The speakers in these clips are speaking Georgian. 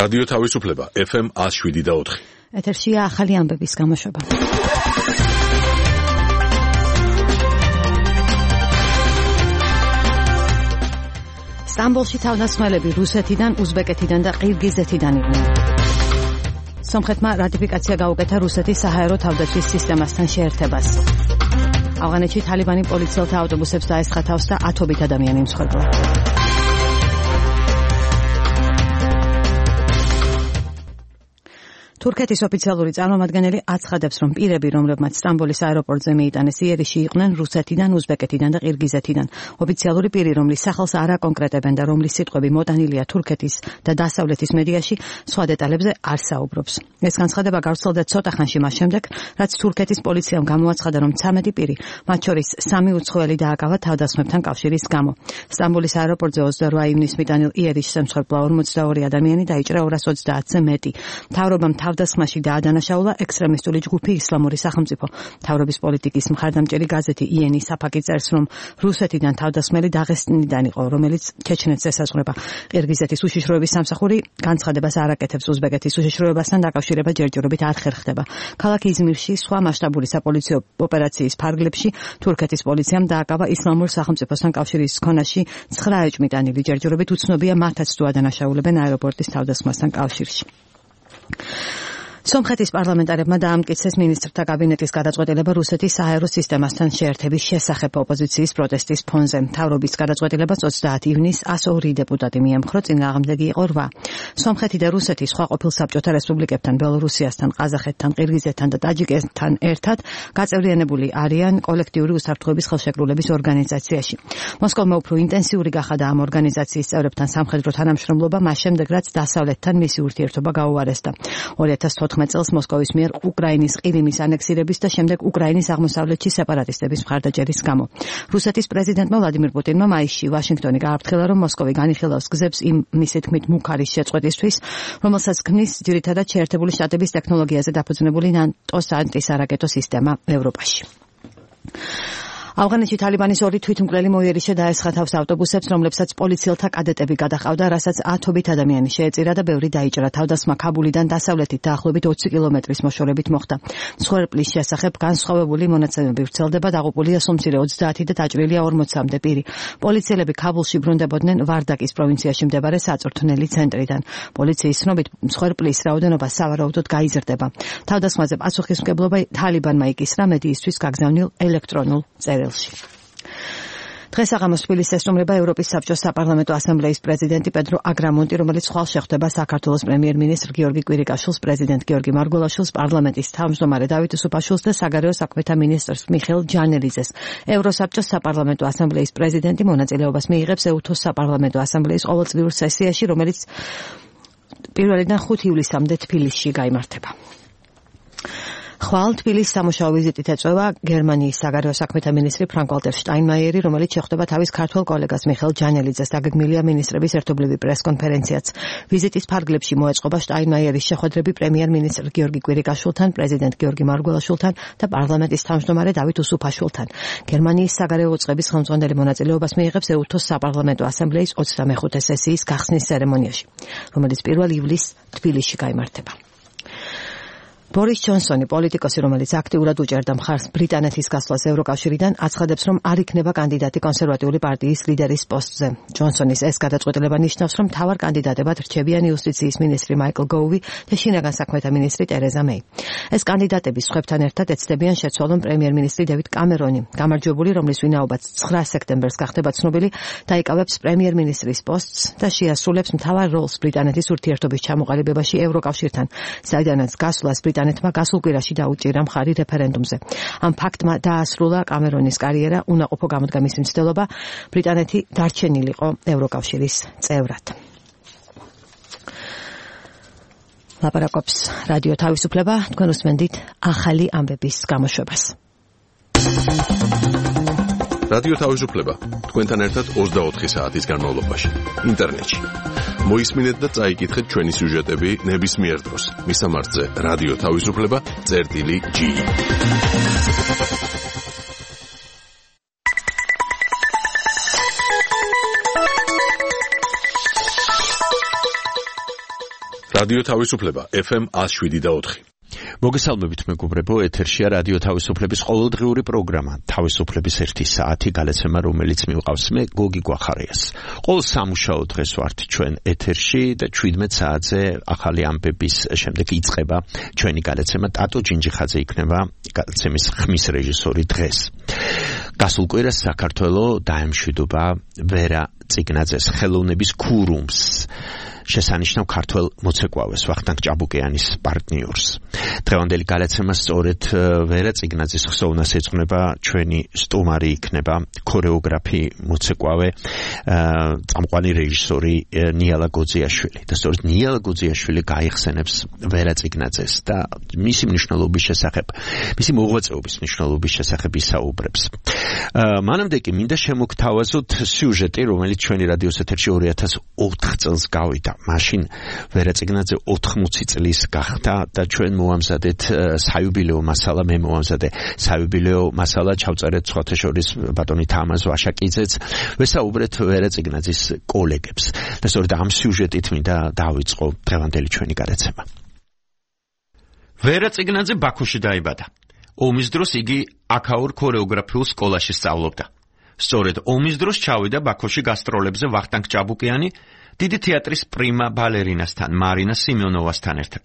რადიო თავისუფლება FM 107.4. ეთერშია ახალი ამბების გამოშვება. სტამბოლში თავდასხმელები რუსეთიდან, უზბეკეთიდან და ყირგიზეთიდან იყვნენ. სომხეთმა რატიფიკაცია გაუკეთა რუსეთის საჰაერო თავდაცვის სისტემასთან შეერთებას. ავღანეთში თალიბანი პოლიციელთა ავტობუსებს დაესხა თავს და ათობით ადამიანი იმსხვერპლა. თურქეთის ოფიციალური წარმომადგენელი აცხადებს, რომ პირები, რომლებმაც სტამბოლის აეროპორტზე მიიტანეს იერიში, იყვნენ რუსეთიდან, უზბეკეთიდან და ყირგიზეთიდან. ოფიციალური პირი, რომლის სახელს არ აკონკრეტებენ და რომლის სიტყვები მოტანილია თურქეთის და დასავლეთის მედიაში, სხვა დეტალებზე არ საუბრობს. ეს განცხადება გავრცელდა ცოტა ხანში მას შემდეგ, რაც თურქეთის პოლიციამ გამოაცხადა, რომ 13 პირი, მათ შორის 3 უცხოელი დააკავა თავდასხმებთან კავშირის გამო. სტამბოლის აეროპორტზე 28 ივნისს მიტანილ იერიში შემსხვერპლა 42 ადამიანი და იჭრა 230-ზე მეტი. მთავრობამ თავდასხმაში დაადანაშაულა ექსტრემისტული ჯგუფი ისლამური სახელმწიფო. მთავრობის პოლიტიკის მხარდამჭერი გაზეთი იენი საფაკი წერს, რომ რუსეთიდან თავდასხმელი დაღესტნიდან იყო, რომელიც ჩეჩნეთს ესაზღვრება. ყირგიზეთის უშიშროების სამსახური განცხადებას არ აკეთებს უზბეკეთის უშიშროებასთან დაკავშირება ჯერჯერობით არ ხერხდება. ქალაქ იზმირში სხვა მასშტაბური საპოლიციო ოპერაციის ფარგლებში თურქეთის პოლიციამ დააკავა ისლამურ სახელმწიფოსთან კავშირის ქონაში 9 ეჭვმიტანილი. ჯერჯერობით უცნობია მათაც თუ ადანაშაულებენ აეროპორტის თავდასხმასთან კავშირში. სომხეთის პარლამენტარებმა დაამტკიცეს მინისტრთა კაბინეტის გადაწყვეტილება რუსეთის საჰაერო სისტემასთან შეერთების შესახებ ოპოზიციის პროტესტის ფონზე. მთავრობის გადაწყვეტილებას 30 ივნისს 102 დეპუტატი მიემხრო, წინააღმდეგი იყო 8. სომხეთი და რუსეთი სხვა ყოფილ საბჭოთა რესპუბლიკებთან, ბელორუსიასთან, ყაზახეთთან, ყირგიზეთთან და ტაჯიკეთთან ერთად გაწევრიანებული არიან კოლექტიური უსაფრთხოების ხელშეკრულების ორგანიზაციაში. მოსკოვმა უფრო ინტენსიური გახადა ამ ორგანიზაციის წევრებთან სამხედრო თანამშრომლობა, მას შემდეგ რაც დასავლეთთან მისი ურთიერთობა გაუარესდა. 2014 წელს მოსკოვის მიერ უკრაინის ყირიმის ანექსირების და შემდეგ უკრაინის აღმოსავლეთში სეპარატისტების მხარდაჭერის გამო. რუსეთის პრეზიდენტმა ვლადიმირ პუტინმა მაისში ვაშინგტონი გააფრთხილა, რომ მოსკოვი განიხილავს გზებს იმ მისი თქმით მუქარის შეწყვეტისთვის, რომელსაც ქმნის ძირითადად შეერთებული შტატების ტექნოლოგიაზე დაფუძნებული ნატოს ანტისარაკეტო სისტემა ევროპაში. ავღანეთში თალიბანის 2 თვითმკვლელი მოიერიშე დაესხა თავს ავტობუსებს, რომლებსაც პოლიციელთა კადეტები გადაჰყავდა, რასაც 10 ადამიანი შეეწირა და ბევრი დაიჭრა. თავდასხმა ქაბულიდან დასავლეთით დაახლოებით 20 კილომეტრის მოშორებით მოხდა. მსხვერპლის შესახებ განსხვავებული მონაცემები ვრცელდება, დაღუპულია სომცირე 30 და დაჭრილია 40-მდე პირი. პოლიციელები ქაბულში ბრუნდებოდნენ ვარდაკის პროვინციაში მდებარე საწვრთნელი ცენტრიდან. პოლიციის ცნობით, მსხვერპლის რაოდენობა სავარაუდოდ გაიზრდება. თავდასხმაზე პასუხისმგებლობა თალიბანმა იკისრა მედიისთვის გაგზავნილ ელექტრონულ წერილში. დღეს აღამოს თბილისს ესტუმრება ევროპის საბჭოს საპარლამენტო ასამბლეის პრეზიდენტი პედრო აგრამონტი, რომელიც ხვალ შეხვდება საქართველოს პრემიერ-მინისტრ გიორგი კვირიკაშვილს, პრეზიდენტ გიორგი მარგველაშვილს, პარლამენტის თავმჯდომარე დავით უსუფაშვილს და საგარეო საქმეთა მინისტრს მიხეილ ჯანელიძეს. ევროსაბჭოს საპარლამენტო ასამბლეის პრეზიდენტი მონაწილეობას მიიღებს ეუთოს საპარლამენტო ასამბლეის ყოველწლიურ სესიაში, რომელიც 1-დან 5 ივლისამდე თბილისში გაიმართება. ხვალ თბილისის სამუშაო ვიზიტით ეწევა გერმანიის საგარეო საქმეთა მინისტრი ფრანკ-ვალტერ შტაინმაიერი, რომელიც შეხვდება თავის ქართველ კოლეგას მიხეილ ჯანელიძეს. დაგეგმილია მინისტრების ერთობლივი პრეს-კონფერენციაც. ვიზიტის ფარგლებში მოეწყობა შტაინმაიერის შეხვედრები პრემიერ-მინისტრ გიორგი კვირიკაშვილთან, პრეზიდენტ გიორგი მარგველაშვილთან და პარლამენტის თავმჯდომარე დავით უსუფაშვილთან. გერმანიის საგარეო უწყების ხელმძღვანელი მონაწილეობას მიიღებს ეუთოს საპარლამენტო ასამბლეის 25 სესიის გახსნის ცერემონიაში, რომელიც 1 ივლისს თბილისში გაიმართება. ბორის ჯონსონი, პოლიტიკოსი, რომელიც აქტიურად უჭერდა მხარს ბრიტანეთის გასვლას ევროკავშირიდან, აცხადებს, რომ არ იქნება კანდიდატი კონსერვატიული პარტიის ლიდერის პოსტზე. ჯონსონის ეს გადაწყვეტილება ნიშნავს, რომ მთავარ კანდიდატებად რჩებიან იუსტიციის მინისტრი მაიკლ გოუვი და შინაგან საქმეთა მინისტრი ტერეზა მეი. ეს კანდიდატები სხვებთან ერთად ეცდებიან შეცვალონ პრემიერ-მინისტრი დევიდ კამერონი. გამარჯვებული, რომლის ვინაობაც 9 სექტემბერს გახდება ცნობილი, დაიკავებს პრემიერ-მინისტრის პოსტს და შეასრულებს მთავარ როლს ბრიტანეთის ურთიერთობის ჩამოყალიბებაში ევროკავშირთან, საიდანაც გასვლას ბრიტანეთმა გასულ კვირაში დაუჭირა მხარი რეფერენდუმზე. ამ ფაქტმა დაასრულა კამერონის კარიერა, უნაყოფო გამოდგა მისი მცდელობა, ბრიტანეთი დარჩენილიყო ევროკავშირის წევრად. ლაპარაკობს რადიო თავისუფლება, თქვენ უსმენთ ახალი ამბების გამოშვებას. რადიო თავისუფლება, თქვენთან ერთად 24 საათის განმავლობაში, ინტერნეტში. მოისმინეთ და წაიკითხეთ ჩვენი სიუჟეტები ნებისმიერ დროს. მისამართზე რადიო თავისუფლება.ge. რადიო თავისუფლება FM 107.4. მოგესალმებით მეგობრებო, ეთერშია რადიო თავისუფლების ყოველდღიური პროგრამა თავისუფლების 1 საათი გალაცემა, რომელიც მივყავს მე გოგი გვახარიას. ყოველ სამუშაო დღეს ვართ ჩვენ ეთერში და 17 საათზე ახალი ამბების შემდეგ იწყება ჩვენი გალაცემა. ტატო ჯინჯიხაძე იქნება გალაცემის ხმის რეჟისორი დღეს. გასულ კვირას საქართველოს დაემშვიდობა ვერა წიგნაძეს ხელოვნების ქურუმს. შესანიშნავ ქართველ მოცეკვავეს ვახტანგ ჭაბუკიანის პარტნიორს. დღევანდელი გალაცემა სწორედ ვერა წიგნაძის ხსოვნას ეძღვნება. ჩვენი სტუმარი იქნება ქორეოგრაფი, მოცეკვავე, წამყვანი რეჟისორი ნიალა გოძიაშვილი. და სწორედ ნიალა გოძიაშვილი გაიხსენებს ვერა წიგნაძეს და მისი მნიშვნელობის შესახებ, მისი მოღვაწეობის მნიშვნელობის შესახებ ისაუბრებს. მანამდე კი მინდა შემოგთავაზოთ სიუჟეტი, რომელიც ჩვენი რადიოს ეთერში 2004 წელს გავიდა. მაშინ ვერა წიგნაძე 80 წლის გახდა და ჩვენ მოვამზადეთ საიუბილეო მასალა, მე მოვამზადე საიუბილეო მასალა, ჩავწერეთ სხვათა შორის ბატონი თამაზ ვაშაკიძეც, ვესაუბრეთ ვერა წიგნაძის კოლეგებს. და სწორედ ამ სიუჟეტით მინდა დავიწყო დღევანდელი ჩვენი გადაცემა. ვერა წიგნაძე ბაქოში დაიბადა. ომის დროს იგი აქაურ ქორეოგრაფიულ სკოლაში სწავლობდა. სწორედ ომის დროს ჩავიდა ბაქოში გასტროლებზე ვახტანგ ჭაბუკიანი დიდი თეატრის პრიმა ბალერინასთან, მარინა სიმეონოვასთან ერთად.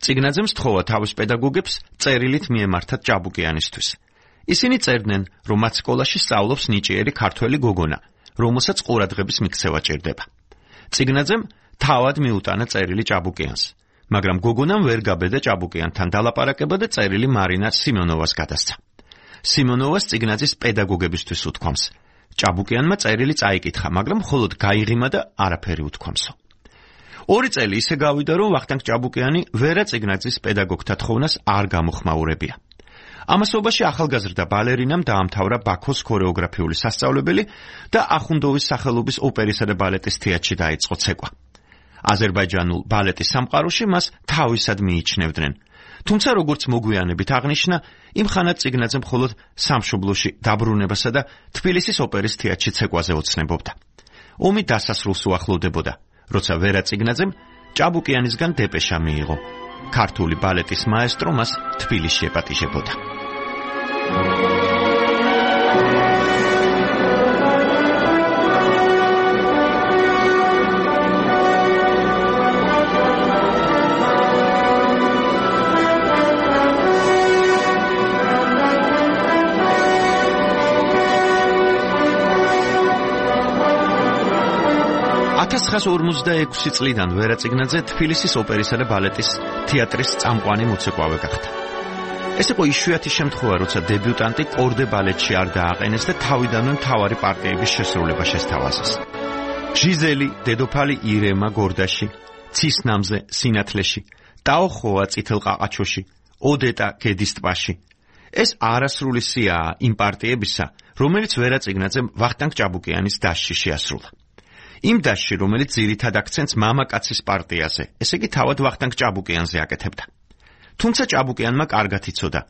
წიგნაძემ სთხოვა თავის პედაგოგებს წერილით მიემართათ ჭაბუკიანისთვის. ისინი წერდნენ, რომ მათ სკოლაში სწავლობს ნიჭიერი ქართველი გოგონა, რომელსაც ყურადღების მიქცევა ჭირდება. წიგნაძემ თავად მიუტანა წერილი ჭაბუკიანს, მაგრამ გოგონამ ვერ გაბედა ჭაბუკიანთან დალაპარაკება და წერილი მარინა სიმეონოვას გადასცა. სიმეონოვას წიგნაძის პედაგოგებისთვის უთქვამს. ჭაბუკიანმა წერილი წაიკითხა, მაგრამ მხოლოდ გაიღიმა და არაფერი უთქვამსო. 2 წელი ისე გავიდა, რომ ვახტანგ ჭაბუკიანი ვერა წიგნაძის პედაგოგთა თხოვნას არ გამოხმაურებია. ამასობაში ახალგაზრდა ბალერინამ დაამთავრა ბაქოს ქორეოგრაფიული სასწავლებელი და ახუნდოვის სახელობის ოპერისა და ბალეტის თეატრში დაიწყო ცეკვა. აზერბაიჯანულ ბალეტის სამყაროში მას თავისად მიიჩნევდნენ. თუმცა როგორც მოგვიანებით აღნიშნა, იმ ხანად წიგნაძე მხოლოდ სამშობლოში დაბრუნებასა და თბილისის ოპერის თეატრში ცეკვაზე ოცნებობდა. ომი დასასრულს უახლოვდებოდა, როცა ვერა წიგნაძემ ჭაბუკიანისგან დეპეშა მიიღო. ქართული ბალეტის მაესტრო მას თბილისში ეპატიჟებოდა. წლიდან ვერა წიგნაძე თბილისის ოპერისა და ბალეტის თეატრის წამყვანი მოცეკვავე გახდა. ეს იყო იშვიათი შემთხვევა, როცა დებიუტანტი კორდე ბალეტში არ დააყენეს და თავიდანვე მთავარი პარტიების შესრულება შესთავაზეს. ჟიზელი, დედოფალი ირემა გორდაში, ცისნამზე სინათლეში, ტაოხოა წითელ ყაყაჩოში, ოდეტა გედის ტბაში. ეს არასრული სიაა იმ პარტიებისა, რომელიც ვერა წიგნაძემ ვახტანგ ჭაბუკიანის დასში შეასრულა. იმ დასში, რომელიც ძირითად აქცენტს მამაკაცის პარტიაზე, ესე იგი თავად ვახტანგ ჭაბუკიანზე აკეთებდა. თუმცა ჭაბუკიანმა კარგად იცოდა,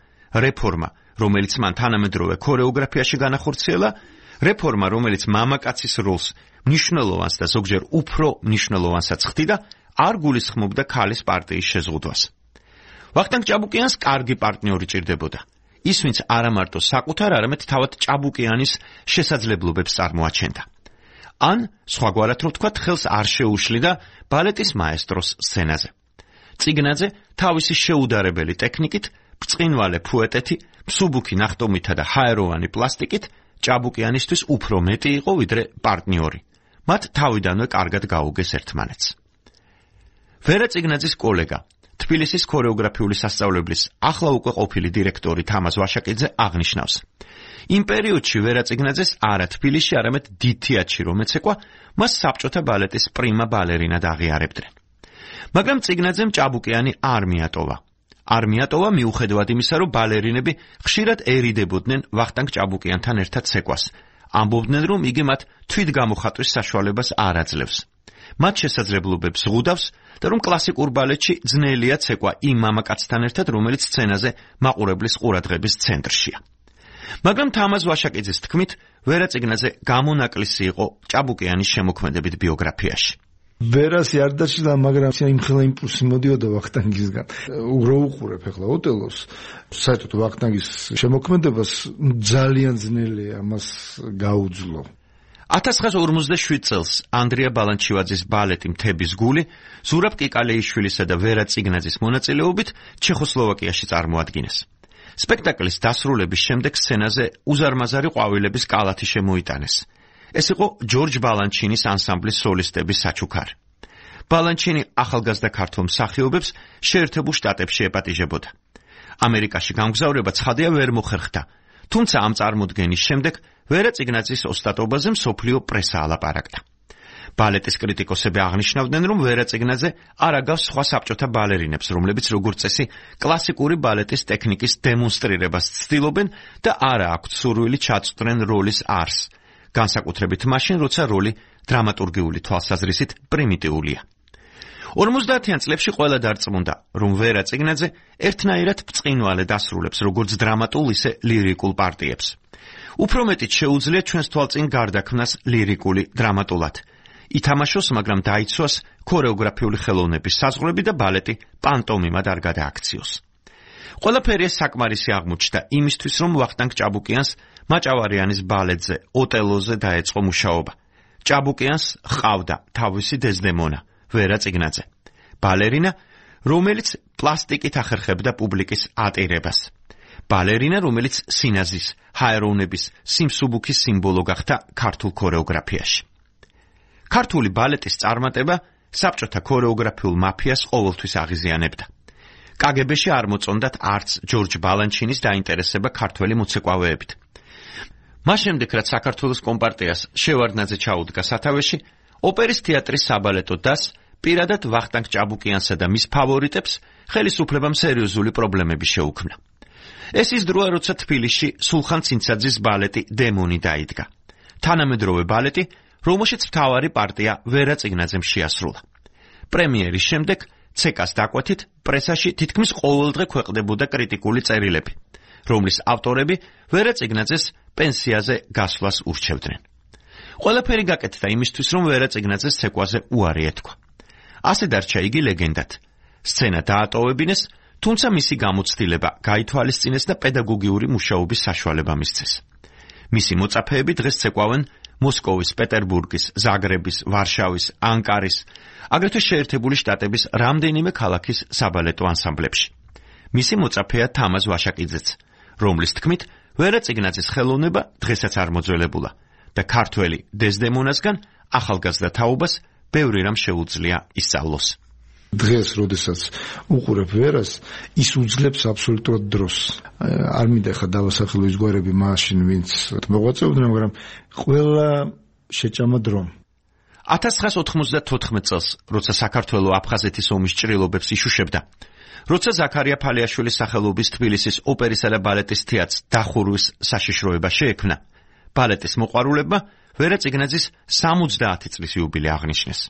რეფორმა, რომელიც მან თანამედროვე ქორეოგრაფიაში განახორციელა, რეფორმა, რომელიც მამაკაცის როლს მნიშვნელოვანს და ზოგჯერ უფრო მნიშვნელოვანსაც ხდიდა, არ გულისხმობდა ქალის პარტიის შეზღუდვას. ვახტანგ ჭაბუკიანს კარგი პარტნიორი ჭირდებოდა. ის, ვინც არა მარტო საკუთარ, არამედ თავად ჭაბუკიანის შესაძლებლობებს წარმოაჩენდა. ან, სხვაგვარად რომ ვთქვათ, ხელს არ შეუშლიდა ბალეტის მაესტროს სცენაზე. წიგნაძე თავისი შეუდარებელი ტექნიკით, ბრწყინვალე ფუეტეთი, მსუბუქი ნახტომითა და ჰაეროვანი პლასტიკით ჭაბუკიანისთვის უფრო მეტი იყო ვიდრე პარტნიორი. მათ თავიდანვე კარგად გაუგეს ერთმანეთს. ვერა წიგნაძის კოლეგა, თბილისის ქორეოგრაფიული სასწავლებლის ახლა უკვე ყოფილი დირექტორი თამაზ ვაშაკიძე აღნიშნავს. იმ პერიოდში ვერა წიგნაძეს არა თბილისში, არამედ დიდ თეატრში რომ ეცეკვა, მას საბჭოთა ბალეტის პრიმა ბალერინად აღიარებდნენ. მაგრამ წიგნაძემ ჭაბუკიანი არ მიატოვა. არ მიატოვა მიუხედავად იმისა, რომ ბალერინები ხშირად ერიდებოდნენ ვახტანგ ჭაბუკიანთან ერთად ცეკვას. ამბობდნენ, რომ იგი მათ თვითგამოხატვის საშუალებას არ აძლევს. მათ შესაძლებლობებს ზღუდავს და რომ კლასიკურ ბალეტში ძნელია ცეკვა იმ მამაკაცთან ერთად, რომელიც სცენაზე მაყურებლის ყურადღების ცენტრშია. მაგრამ თამაზ ვაშაკიძის თქმით, ვერა წიგნაძე გამონაკლისი იყო ჭაბუკიანის შემოქმედებით ბიოგრაფიაში. ვერასი არ დაჭრდა, მაგრამ იმხელა იმპულსი მოდიოდა ვახტანგისგან. რო უყურებ ახლა ოტელოს, საერთოდ ვახტანგის შემოქმედებას ძალიან ძნელია ამას გაუძლო. 1957 წელს ანდრია ბალანჩივაძის ბალეტი მთების გული ზურაბ კიკალეიშვილისა და ვერა წიგნაძის მონაწილეობით ჩეხოსლოვაკიაში წარმოადგინეს. სპექტაკლის დასრულების შემდეგ სცენაზე უზარმაზარი ყვავილების კალათი შემოიტანეს. ეს იყო ჯორჯ ბალანჩინის ანსამბლის სოლისტების საჩუქარი. ბალანჩინი ახალგაზრდა ქართველ მსახიობებს შეერთებულ შტატებში ეპატიჟებოდა. ამერიკაში გამგზავრება ცხადია ვერ მოხერხდა, თუმცა ამ წარმოდგენის შემდეგ ვერა წიგნაძის ოსტატობაზე მსოფლიო პრესა ალაპარაკდა. ბალეტის კრიტიკოსები აღნიშნავდნენ, რომ ვერა წიგნაძე არ აგავს სხვა საბჭოთა ბალერინებს, რომლებიც როგორც წესი კლასიკური ბალეტის ტექნიკის დემონსტრირებას ცდილობენ და არა აქვთ სურვილი ჩაწვდნენ როლის არსს, განსაკუთრებით მაშინ, როცა როლი დრამატურგიული თვალსაზრისით პრიმიტიულია. 50-იან წლებში ყველა დარწმუნდა, რომ ვერა წიგნაძე ერთნაირად ბრწყინვალედ ასრულებს როგორც დრამატულ, ისე ლირიკულ პარტიებს. უფრო მეტიც შეუძლია ჩვენს თვალწინ გარდაქმნას ლირიკული დრამატულად. ითამაშოს, მაგრამ დაიცვას ქორეოგრაფიული ხელოვნების საზღვრები და ბალეტი პანტომიმად არ გადააქციოს. ყველაფერი ეს საკმარისი აღმოჩნდა იმისთვის, რომ ვახტანგ ჭაბუკიანს მაჭავარიანის ბალეტზე, ოტელოზე დაეწყო მუშაობა. ჭაბუკიანს ჰყავდა თავისი დეზდემონა, ვერა წიგნაძე, ბალერინა, რომელიც პლასტიკით ახერხებდა პუბლიკის ატირებას. ბალერინა, რომელიც სინაზის, ჰაეროვნების, სიმსუბუქის სიმბოლო გახდა ქართულ ქორეოგრაფიაში. ქართული ბალეტის წარმატება საბჭოთა ქორეოგრაფიულ მაფიას ყოველთვის აღიზიანებდა. კგბ-ში არ მოწონდათ არც ჯორჯ ბალანჩინის დაინტერესება ქართველი მოცეკვავეებით. მას შემდეგ, რაც საქართველოს კომპარტიას შევარდნაძე ჩაუდგა სათავეში, ოპერის თეატრის საბალეტო დასს პირადად ვახტანგ ჭაბუკიანსა და მის ფავორიტებს ხელისუფლებამ სერიოზული პრობლემები შეუქმნა. ეს ის დროა, როცა თბილისში სულხან ცინცაძის ბალეტი დემონი დაიდგა. თანამედროვე ბალეტი, რომელშიც მთავარი პარტია ვერა წიგნაძემ შეასრულა. პრემიერის შემდეგ ცეკას დაკვეთით პრესაში თითქმის ყოველდღე ქვეყნდებოდა კრიტიკული წერილები, რომლის ავტორები ვერა წიგნაძეს პენსიაზე გასვლას ურჩევდნენ. ყველაფერი გაკეთდა იმისთვის, რომ ვერა წიგნაძეს ცეკვაზე უარი ეთქვა. ასე დარჩა იგი ლეგენდად. სცენა დაატოვებინეს, თუმცა მისი გამოცდილება გაითვალისწინეს და პედაგოგიური მუშაობის საშუალება მისცეს. მისი მოწაფეები დღეს ცეკვავენ მოსკოვის, პეტერბურგის, ზაგრების, ვარშავის, ანკარის, აგრეთვე შეერთებული შტატების რამდენიმე ქალაქის საბალეტო ანსამბლებში. მისი მოწაფეა თამაზ ვაშაკიძეც, რომლის თქმით, ვერა წიგნაძის ხელოვნება დღესაც არ მოძველებულა და ქართველი დეზდემონასგან ახალგაზრდა თაობას ბევრი რამ შეუძლია ისწავლოს. დღეს, როდესაც უყურებ ვერას, ის უძლებს აბსოლუტურად დროს. არ მინდა ხა დავასახელო ის გვარები მაშინ, ვინც მოღვაწეობდნენ, მაგრამ ყველა შეჭამა დრო. 1994 წელს, როცა საქართველო აფხაზეთის ომის ჭრილობებს იშუშებდა, როცა ზაქარია ფალიაშვილის სახელობის თბილისის ოპერისა და ბალეტის თეატრს დახურვის საშიშროება შეექმნა, ბალეტის მოყვარულებმა ვერა წიგნაძის 70 წლის იუბილე აღნიშნეს.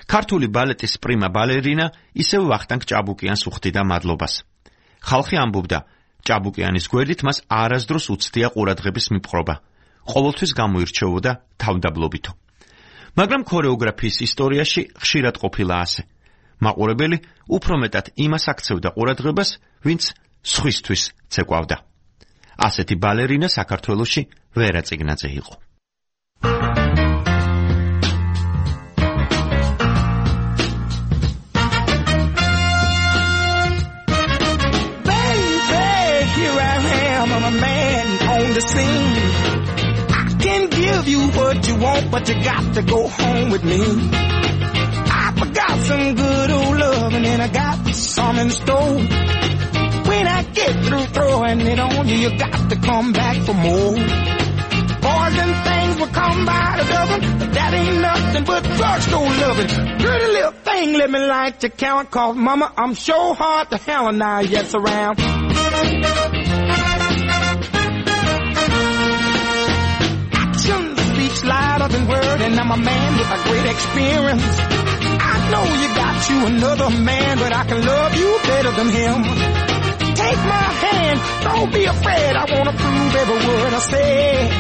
ქართული ბალეტის პრიმა ბალერინა ისევ ვახტანგ ჭაბუკიანს უხდიდა მადლობას. ხალხი ამბობდა, ჭაბუკიანის გვერდით მას არასდროს უცდია ყურადღების მიპყრობა, ყოველთვის გამოირჩეოდა თავდაბლობითო. მაგრამ ქორეოგრაფიის ისტორიაში ხშირად ყოფილა ასე. მაყურებელი უფრო მეტად იმას აქცევდა ყურადღებას, ვინც სხვისთვის ცეკვავდა. ასეთი ბალერინა საქართველოში ვერა წიგნაძე იყო. I can give you what you want, but you got to go home with me. I forgot some good old loving and I got some in store. When I get through throwing it on you, you got to come back for more. Boys and things will come by the dozen, but that ain't nothing but drugstore loving. Pretty little thing, let me light your count, cause mama, I'm sure hard to hell and now yes around. Louder than word, and I'm a man with a great experience. I know you got you another man, but I can love you better than him. Take my hand, don't be afraid, I wanna prove every word I say.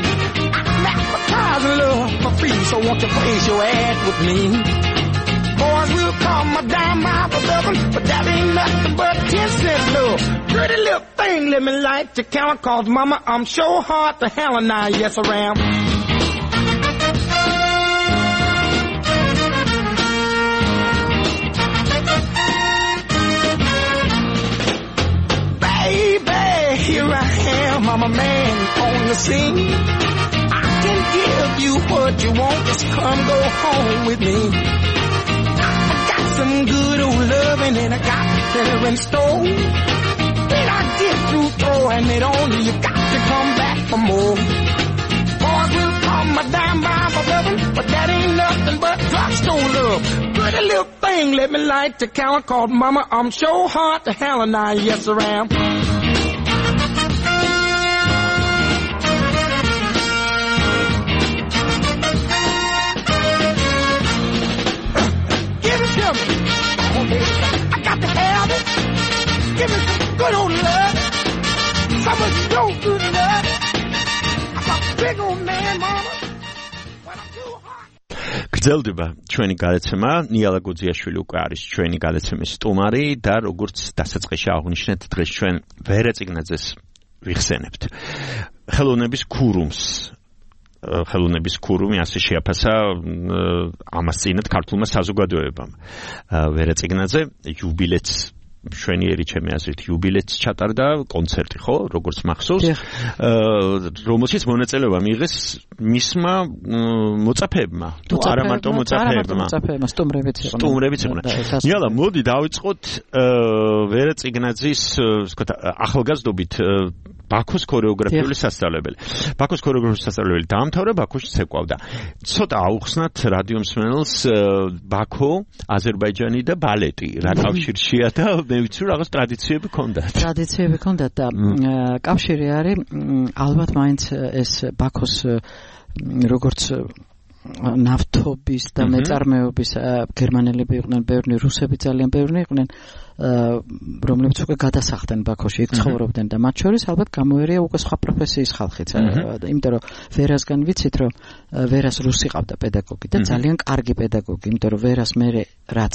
I'm advertising love for free, so won't you place your ad with me? will call my dime my lovin', but that ain't nothing but 10 cents love. Pretty little thing, let me light your count, cause mama, I'm sure hard to hell and I, yes I am. Baby, here I am, I'm a man on the scene. I can give you what you want, just come go home with me. I got some good old loving and I got better in store. When I get through throwing it on you, you got to come back for more. Boys will call my dime by my lovin', but that ain't nothing but drugstore love. Pretty little thing, let me light the count, called mama, I'm sure hard to hell and I, yes I am. I got to have it. Give me some good old love. Some of your good love. I'm a big old man, mama. When I'm too hot. გრძელდება ჩვენი გადაცემა. ნიალა გუძიაშვილი უკვე არის ჩვენი გადაცემის სტუმარი და როგორც დასაწყისში აღვნიშნეთ, დღეს ჩვენ ვერა წიგნაძეს ვიხსენებთ. ხელოვნების ქურუმს ხელოვნების ქურუმი ასე შეაფასა ამას წინათ ქართულმა საზოგადოებამ. ვერა წიგნაძე იუბილეც შვენიერი ჩემი აზრით იუბილეც ჩატარდა კონცერტი ხო როგორც მახსოვს რომელშიც მონაწილეობა მიიღეს მისმა მოწაფეებმა თუ არა მარტო მოწაფეებმა სტუმრებიც იყვნენ. ნიალა მოდი დავიწყოთ ვერა წიგნაძის ვთქვათ ახალგაზრდობით ბაქოს ქორეოგრაფიული სასწავლებელი. ბაქოს ქორეოგრაფიული სასწავლებელი დაამთავრა, ბაქოში ცეკვავდა. ცოტა აუხსნათ რადიო მსმენელს ბაქო, აზერბაიჯანი და ბალეტი. რა კავშირშია და მე ვიცი რომ რაღაც ტრადიციები ჰქონდათ. ტრადიციები ჰქონდათ და კავშირი არის ალბათ მაინც ეს ბაქოს როგორც ნავთობის და მეწარმეობის გერმანელები იყვნენ, ბევრი რუსები ძალიან ბევრი იყვნენ. რომლებიც უკვე გადასახდნენ ბაქოში, იქ ცხოვრობდნენ და მათ შორის ალბათ გამოერია უკვე სხვა პროფესიის ხალხიც. იმიტომ რომ ვერასგან ვიცით რომ ვერას რუსი ყავდა პედაგოგი და ძალიან კარგი პედაგოგი, იმიტომ რომ ვერას მე რაც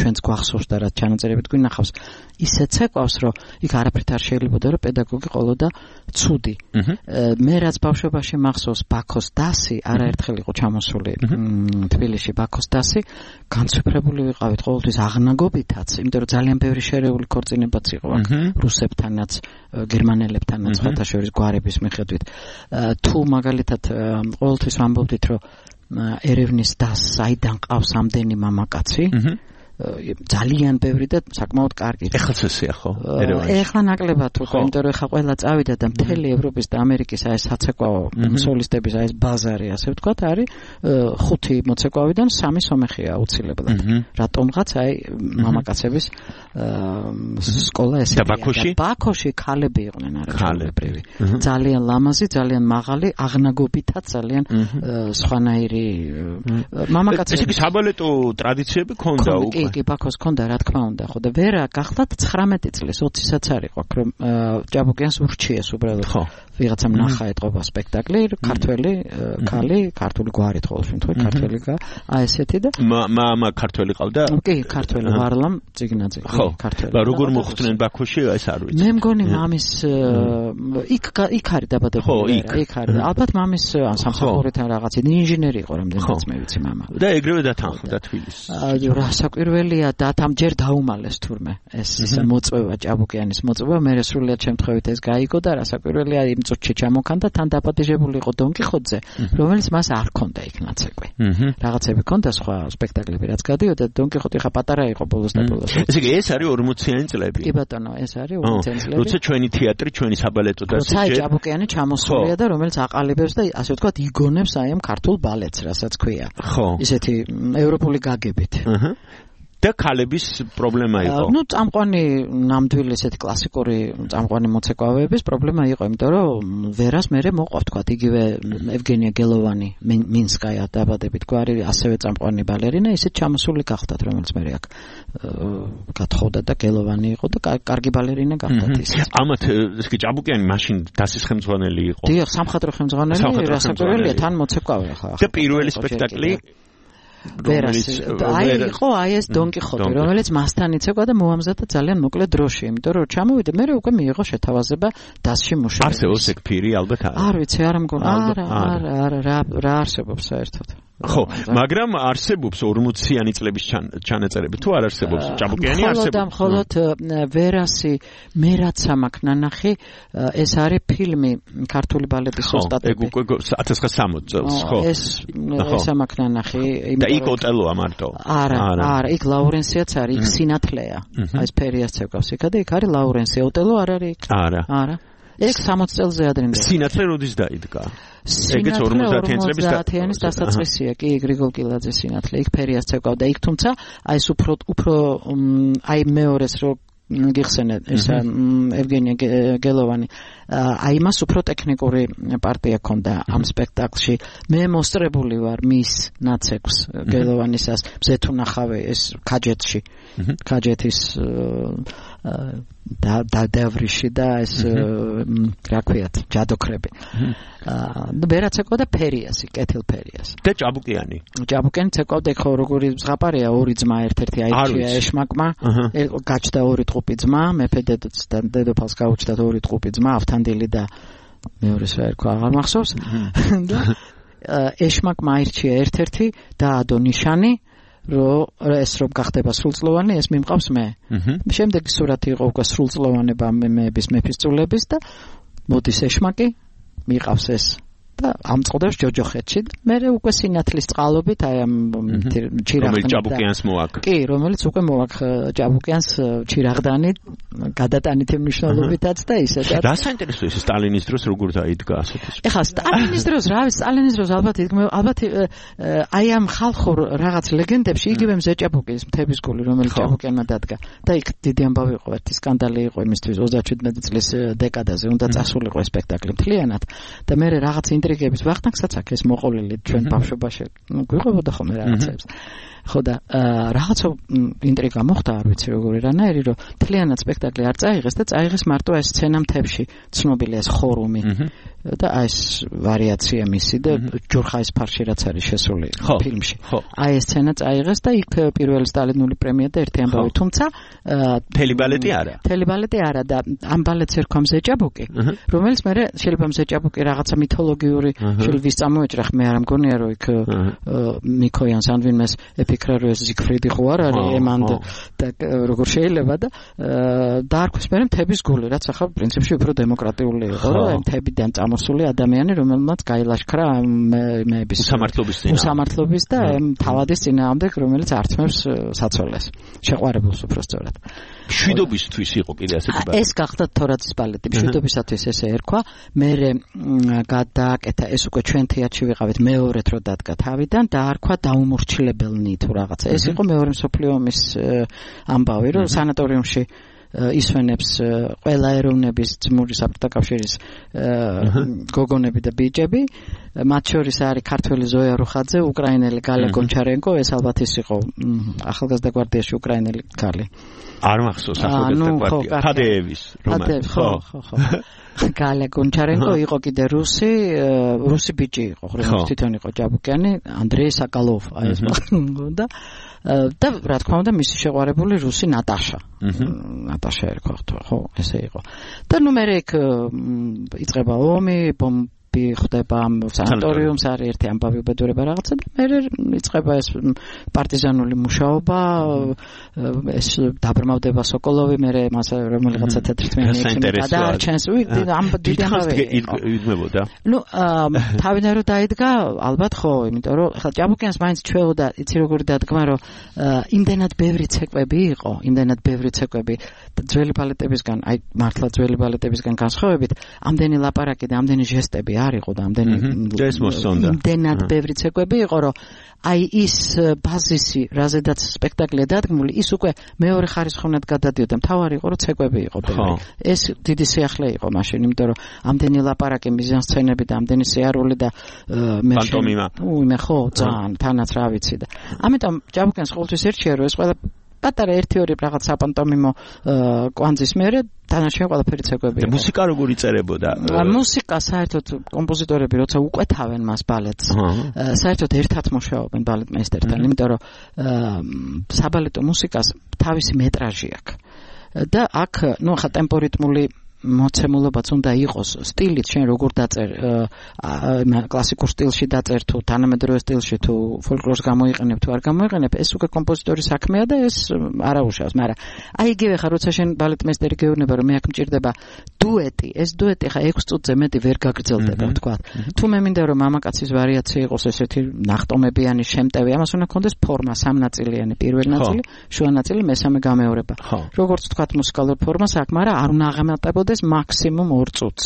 ჩვენს გვახსოვს და რაც ჩანაწერებით გვინახავს, ისე ცეკვავს რომ იქ არაფრით არ შეიძლებოდა რომ პედაგოგი ყოლოდა ცუდი. მე რაც ბავშვობაში მახსოვს ბაქოს დასი, არაერთხელ იყო ჩამოსული თბილისში ბაქოს დასი, განცვიფრებული ვიყავით ყოველთვის აღნაგობითაც, იმიტომ რომ ძალიან ბევრი შერეული ქორწინებაც იყო აქ რუსებთანაც, გერმანელებთანაც, სხვათა შორის გვარების მიხედვით. თუ მაგალითად ყოველთვის ვამბობდით რომ ერევნის დასს აიდან ყავს ამდენი მამაკაცი, ძალიან ბევრი და საკმაოდ კარგი. ეხლა წესია ხო? ეხლა ნაკლებად უკვე, იმიტომ რომ ეხლა ყველა წავიდა და მთელი ევროპის და ამერიკის აი საცეკვაო სოლისტების აი ეს ბაზარი, ასე ვთქვათ, არის 5 მოცეკვავიდან 3 სომეხია აუცილებლად. რატომღაც აი მამაკაცების სკოლა ესე და ბაქოში ქალები იყვნენ არაჩვეულებრივი. ძალიან ლამაზი, ძალიან მაღალი, აღნაგობითაც ძალიან სხვანაირი მამაკაცები. ეს საბალეტო ტრადიციები ქონდა უკვე. კი ბაქოს ქონდა რა თქმა უნდა ხო და ვერა გახლავთ 19 წლის 20-საც არ იყო აქ რომ ჭაბუკიანს ურჩიეს უბრალოდ ვიღაცამ ნახა ეთყობა სპექტაკლი ქართველი ქალი ქართული გვარით ყოველ შემთხვევაში ქართველი აი ესეთი და მამა ქართველი ყავდა კი ქართველი ვარლამ წიგნაძე ქართველი როგორ მოხვდნენ ბაქოში ეს არ ვიცი მე მგონი მამის იქ არის დაბადებული იქ არის ალბათ მამის სამსახურიდან რაღაც ინჟინერი იყო რამდენიც მე ვიცი მამა და ეგრევე დათანხმდა თბილისში რა საკვირველია და ამ ჯერ დაუმალეს თურმე ეს მოწვევა ჭაბუკიანის მოწვევა მე სრულიად შემთხვევით ეს გაიგო და რა საკვირველია იმ წუთში ჩამოქანდა თან დაპატიჟებული იყო დონ კიხოტზე რომელიც მას არ ქონდა იქ ნაცეკვი რაღაცები ქონდა სხვა სპექტაკლები რაც გადიოდა დონ კიხოტი ხა პატარა იყო ბოლოს და ბოლოს ესე იგი ეს არის 40-იანი წლები კი ბატონო ეს არის 40-იანი წლები როცა ჩვენი თეატრი ჩვენი საბალეტო და როცა ჭაბუკიანი ჩამოსულია და რომელიც აყალიბებს და ასე ვთქვათ იგონებს აი ამ ქართულ ბალეტს რასაც ქვია ისეთი ევროპული გაგებით და ქალების პრობლემა იყო. ნუ წამყვანი ნამდვილი ესეთი კლასიკური წამყვანი მოცეკვავეების პრობლემა იყო, იმიტომ რომ ვერას მერე მოყვა თქვა იგივე ევგენია გელოვანი მინსკაია დაბადებით გვარი ასევე წამყვანი ბალერინა ისეთ ჩამოსული გახდათ რომელიც მერე აქ გათხოვდა და გელოვანი იყო და კარგი ბალერინა გახდათ ის. ამათ ისე ჭაბუკიანი მაშინ დასის ხელმძღვანელი იყო. დიახ, სამხატვრო ხელმძღვანელი, რასაკვირველია თან მოცეკვავე ხა. და პირველი სპექტაკლი ვერასი. იყო ეს დონ კიხოტი, რომელიც მასთან იცეკვა და მოამზადა ძალიან მოკლე დროში, იმიტომ რომ ჩამოვიდა, მე უკვე მიიღო შეთავაზება დასში მუშაობისთვის. არსებობს ეგ ფირი ალბათ არა. არ ვიცი, არ მგონა. არა, რა არსებობს საერთოდ. ხო, მაგრამ არსებობს 40-იანი წლების ჩანაწერები. თუ არ არსებობს, ჭაბუკიანი არსებობს. მხოლოდ ვერასი მე რაც ამაკ ნანახი, ეს არის ფილმი ქართული ბალეტის ოსტატები. ეგ უკვე 1960 წელს, ხო. ეს ამაკ ნანახი, და იქ ოტელოა მარტო. არა, იქ ლაურენსიაც არის, იქ სინათლეა. აი ეს ფერიას ცეკავს იქა და იქ არის ლაურენსი, ოტელო არ არის იქ. არა. ეგ 60 წელზე ადრინდელი. სინათლე როდის დაიდგა? ეგეც 50-იანის დასაწყისია კი გრიგოლ კილაძის სინათლე. იქ ფერიას ცეკავდა იქ, თუმცა აი ეს უფრო აი მეორეს რო გიხსენეთ ესა ევგენია გელოვანი აი მას უფრო ტექნიკური პარტია ქონდა ამ სპექტაკლში. მე მოსწრებული ვარ მის ნაცეკვს გელოვანისას მზეთუნახავე ეს ქაჯეთში ქაჯეთის და დევრიში და ეს რა ქვიათ ჯადოქრები და ვერაც ეკოდა ფერიასი კეთილ ფერიას და ჭაბუკიანი ცეკავდა ხო როგორი ზღაპარია ორი ძმა ერთ-ერთი აიჩია ეშმაკმა გაჩნდა ორი ტყუპი ძმა მეფე დედოფალს გაუჩნდა ორი ტყუპი ძმა ავთანდილი და მეორეს რა ერქვა აღარ მახსოვს და ეშმაკმა აირჩია ერთ-ერთი და ადო ნიშანი რომ ეს რომ გახდება სრულწლოვანი ეს მიმყავს მე. შემდეგი სურათი იყო უკვე სრულწლოვანება მეების მეფისწულების და მოდის ეშმაკი მიყავს ეს და ამწყდებს ჯოჯოხეთში. მე უკვე სინათლის წყალობით აი ამ ჩირაღდანი ჭაბუკიანს მოაკ. კი, რომელიც უკვე მოაკ ჭაბუკიანს ჩირაღდანი გადატანითი მნიშვნელობითაც და ისედაც. რა საინტერესო ის სტალინის დროს როგორ დაიდგა ასეთი. ეხლა სტალინის დროს რა ვიცი, სტალინის დროს ალბათ აი ამ ხალხურ რაღაც ლეგენდებში იგივე მზეჭაბუკის მთების გული რომელიც ჭაბუკიანმა დადგა და იქ დიდი ამბავი იყო ერთი სკანდალი იყო იმისთვის 37 წლის დეკადაზე უნდა წასულიყო ეს სპექტაკლი მთლიანად და მე რაღაც ინტრიგების ვახტანგსაც აქ ეს მოყოლილი ჩვენ ბავშვობაში გვიყვებოდა ხოლმე რაღაცებს ხო და რაღაცა ინტრიგა მოხდა არ ვიცი როგორი რანაირი რომ მთლიანად სპექტაკლი არ წაიღეს და წაიღეს მარტო ეს სცენა მთებში ცნობილი ეს ხორუმი და ეს ვარიაცია მისი და ჯურხაის ფარში რაც არის შესული ფილმში აი ეს სცენა წაიღეს და იქ პირველი სტალინური პრემია და ერთი ამბავი თუმცა მთელი ბალეტი არა და ამ ბალეტს ერქვა მზეჭაბუკი რომელიც მე შეიძლება მზეჭაბუკი რაღაცა მითოლოგიური შეიძლება ვის წამოეჭრა მე არ მგონია რომ იქ მიქოიანს ან ვინმეს ეკრა რომ ეს ზიგფრიდი ხო არ არის ემანდ და როგორ შეიძლება და დაარქვეს მე მთების გული რაც ახლა პრინციპში უფრო დემოკრატიული იყო რომ მთებიდან წამოსული ადამიანი რომელმაც გაილაშქრა მეების უსამართლობის და თავადის წინააღმდეგ რომელიც ართმევს საცოლეს შეყვარებულს უფრო სწორად შვიდობისთვის იყო კიდე ასეთი ბალეტი ეს გახდა თორაძის ბალეტი შვიდობისათვის ესე ერქვა მე გადააკეთა ეს უკვე ჩვენ თეატრში ვიყავით მეორედ რო დადგა თავიდან დაარქვა დაუმორჩილებელნი თუ რაღაცა ეს იყო მეორე მსოფლიო ომის ამბავი რომ სანატორიუმში ისვენებს ყველა ეროვნების ძმური საბჭოთა კავშირის გოგონები და ბიჭები მათ შორის არის ქართველი ზოია რუხაძე უკრაინელი გალა გონჩარენკო ეს ალბათ ის იყო ახალგაზრდა გვარდიაში უკრაინელი ქალი არ მახსოვს ახალგაზრდა გვარდია ფადეევის რომანი ხო გალა გონჩარენკო იყო კიდე რუსი ბიჭი იყო რომელიც თვითონ იყო ჭაბუკიანი ანდრეი საკალოვ აი ეს და და რა თქმა უნდა მისი შეყვარებული რუსი ნატაშა ერქვა ხო ესე იყო და ნუ მე იქ იწყება ომი ხდება სანატორიუმს არის ერთი ამბავი უბედურება რაღაცა და მე იწყება ეს პარტიზანული მუშაობა ეს დაბრმავდება სოკოლოვი მე მას რომელიღაცა თეთრთმიანი გადაარჩენს ამ დიდი ამბავი იგმებოდა ნუ თავიდან რომ დაიდგა ალბათ ხო იმიტომ რომ ხა ჭაბუკიანს მაინც ჩვეოდა იცი როგორი დადგმა რომ იმდენად ბევრი ცეკვები იყო ძველი ბალეტებისგან აი მართლა ძველი ბალეტებისგან განსხვავებით ამდენი ლაპარაკი და ამდენი ჟესტები არ იყო და ამდენი იმდენად ბევრი ცეკვები იყო რომ აი ის ბაზისი რაზედაც სპექტაკლია დადგმული ის უკვე მეორე ხარისხოვნად გადადიოდა მთავარი იყო რომ ცეკვები იყო ეს დიდი სიახლე იყო მაშინ იმიტომ რომ ამდენი ლაპარაკი მიზანსცენები და ამდენი სიარული და პანტომიმა მე ხო ძალიან თანაც რა ვიცი და ამიტომ ჭაბუკიანს ყოველთვის ერჩია რომ ეს ყველა პატარა 1-2 რაღაც საპანტომიმო კვანძის მერე თანაშემ ყველაფერი ცეკვები. მუსიკა როგორ იწერებოდა? მუსიკა საერთოდ კომპოზიტორები როცა უყვეთავენ მას ბალეტს, საერთოდ ერთად მუშაობენ ბალეტმეისტერთან, იმიტომ რომ საბალეტო მუსიკას თავისი მეტრაჟი აქვს. და აქ, ნუ ხა ტემპორიტმული მოცემულობაც უნდა იყოს სტილით შენ როგორ დაწერ კლასიკურ სტილში დაწერ თუ თანამედროვე სტილში თუ ფოლკლორს გამოიყენებ თუ არ გამოიყენებ ეს უკვე კომპოზიტორის საქმეა და ეს არაუშავს მაგრამ აი იგივე ხარ როცა შენ ბალეტმეისტერი გეუბნება რომ მე აქ მჭირდება დუეტი ეს დუეტი ხა 6 წუთზე მეტი ვერ გაგრძელდება თქვა თუ მე მინდა რომ მამაკაცის ვარიაცია იყოს ესეთი ნახტომებიანი შემტევი ამას უნდა ქონდეს ფორმა სამნაწილიანი პირველი ნაწილი შუა ნაწილი მესამე გამეორება როგორც თქვა მუსიკალურ ფორმას აქ მაგრამ არ უნდა აღემატებოდეს მაქსიმუმ 2 წუთს.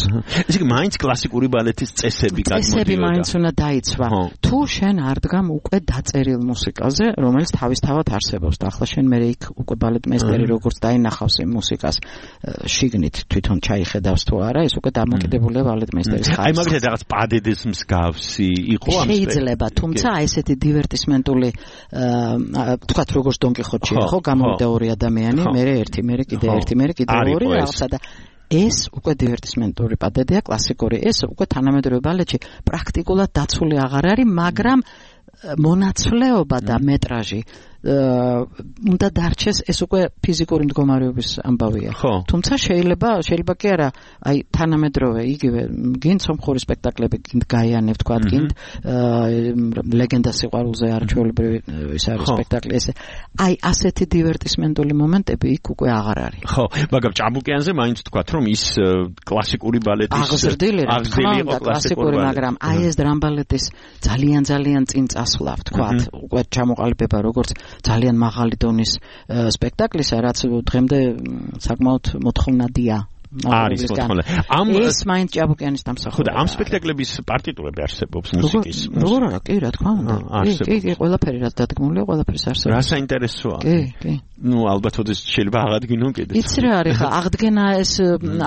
ესე იგი მაინც კლასიკური ბალეტის წესები გადმოდიოდა. წესები მაინც უნდა დაიცვა. თუ შენ არ დგამ უკვე დაწერილ მუსიკაზე, რომელიც თავისთავად არსებობს. და ახლა შენ მე იქ უკვე ბალეტმეისტერი როგორც დაინახავს იმ მუსიკას შიგნით თვითონ ჩაიხედავს თუ არა, ეს უკვე დამოკიდებულია ბალეტმეისტერის ხარისხზე. აი მაგალითად რაღაც პადედეს მსგავსი იყო ამ შეიძლება, თუმცა აი ესეთი დივერტისმენტული თქვათ როგორც დონ კიხოტში ხო გამოვიდა 2 ადამიანი, მე ერთი, მე კიდე ერთი, მე კიდე 2 რაღაცა და ეს უკვე დივერტისმენტური პადედია კლასიკური ეს უკვე თანამედროვე ბალეტში პრაქტიკულად დაცული აღარ არის მაგრამ მონაცვლეობა და მეტრაჟი უნდა დარჩეს ეს უკვე ფიზიკური მდგომარეობის ამბავია თუმცა შეიძლება კი არა აი თანამედროვე იგივე გინდ სომხური სპექტაკლები გინდ გაიანებ თქვა გინდ ლეგენდა სიყვარულზე არჩეულებრივი ის არის სპექტაკლი ესე აი ასეთი დივერტისმენტული მომენტები იქ უკვე აღარ არის ხო მაგრამ ჭაბუკიანზე მაინც თქვა რომ ის კლასიკური ბალეტის აღზრდილი იყო კლასიკური მაგრამ აი ეს დრამბალეტის ძალიან წინ წასვლა თქვა უკვე ჩამოყალიბება როგორც ძალიან მაღალი დონის სპექტაკლისა, რაც დღემდე საკმაოდ მოთხოვნადია. არის მოთხოვნა. ეს მაინც ჭაბუკიანის დამსახურება. ხო, ამ სპექტაკლების პარტიტურები არსებობს მუსიკის. როგორ არა, კი, რა თქმა უნდა. კი, ყველაფერი რაც დადგმულია, ყველაფერს არსებობს. რა საინტერესოა. კი. ნუ ალბათ ოდეს შეიძლება აღადგინო კიდე. იცი რა არის ხა,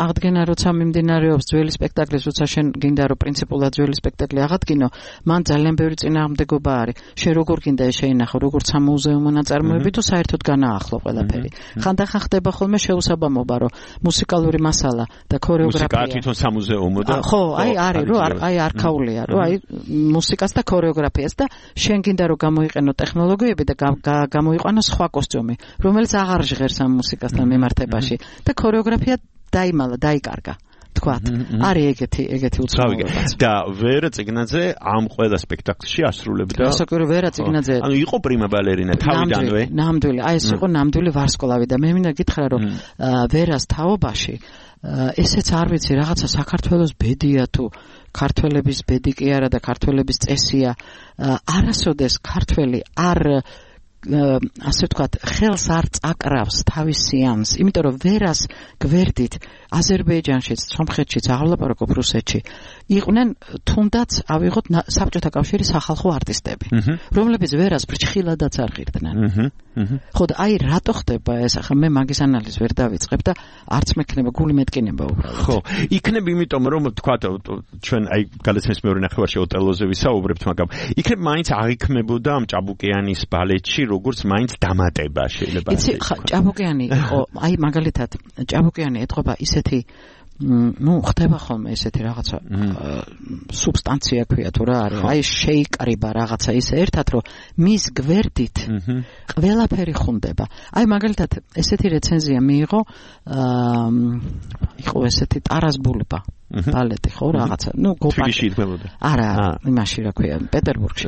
აღდგენა როცა მიმდინარეობს ძველი სპექტაკლის, როცა შენ გინდა რომ პრინციპულად ძველი სპექტაკლი აღადგინო, მან ძალიან ბევრი წინააღმდეგობა არის. შენ როგორ გინდა ეს შეინახო, როგორც სამუზეუმო ნაწარმოები თუ საერთოდ განაახლო ყველაფერი. ხანდახან ხდება ხოლმე შეუსაბამობა, რომ მუსიკალური მასალა და ქორეოგრაფია. მუსიკა თვითონ სამუზეუმო და ხო, აი არის რომ აი არქაულია, რომ აი მუსიკას და ქორეოგრაფიას და შენ გინდა რომ გამოიყენო ტექნოლოგიები და გამოიყვანო სხვა კოსტიუმი, რომელიც აღარ ჟღერს ამ მუსიკასთან მიმართებაში და ქორეოგრაფია დაიკარგა. თქვათ, არის ეგეთი უცნაურობაც. და ვერა წიგნაძე ამ ყველა სპექტაკლში ასრულებდა. ასაკური ვერა წიგნაძე. ანუ იყო პრიმა ბალერინა თავიდანვე. ნამდვილი, აი ეს იყო ნამდვილი ვარსკვლავი და მე მინდა გითხრა რომ ვერას თაობაში ესეც არ ვიცი რაღაცა საქართველოს ბედია თუ ქართველების ბედი კი არა და ქართველების წესია არასოდეს ქართველი არ ასე ვთქვათ, ხელს არ წაკრავს თავის სიამს, იმიტომ რომ ვერას გვერდით აზერბაიჯანშიც, სომხეთშიც, აღლაპარაკობ რუსეთში იყვნენ თუნდაც ავიღოთ საბჭოთა კავშირის სახალხო არტისტები, რომლებიც ვერას ფრჩხილადაც არ ღირდნენ. ხო და აი რატო ხდება ეს? ახლა მე მაგის ანალიზს ვერ დავიწყებ და არც მექნება გული მეტკინება უბრალოდ. ხო, იქნებ იმიტომ რომ თქვათ ჩვენ აი გალეცნის მეორე ნახევარში ოტელოზე ვისაუბრებთ, მაგრამ იქნებ მაინც აღიქმებოდა ამ ჭაბუკიანის ბალეტში როგორც მაინც დამატება შეიძლება. იცი, ჭაბუკიანი იყო, აი მაგალითად, ჭაბუკიანი ეთყობა ისეთი ხდება ხოლმე ესეთი რაღაცა სუბსტანცია ქვია თუ რა არის, აი შეიკრიბა რაღაცა ისე ერთად, რომ მის გვერდით ყველაფერი ხუნდება. აი მაგალითად ესეთი რეცენზია მიიღო, იყო ესეთი ტარას ბულბა ბალეტი ხო რაღაცა, თბილისში იდგმებოდა. არა, იმაში რა ქვია, პეტერბურგში.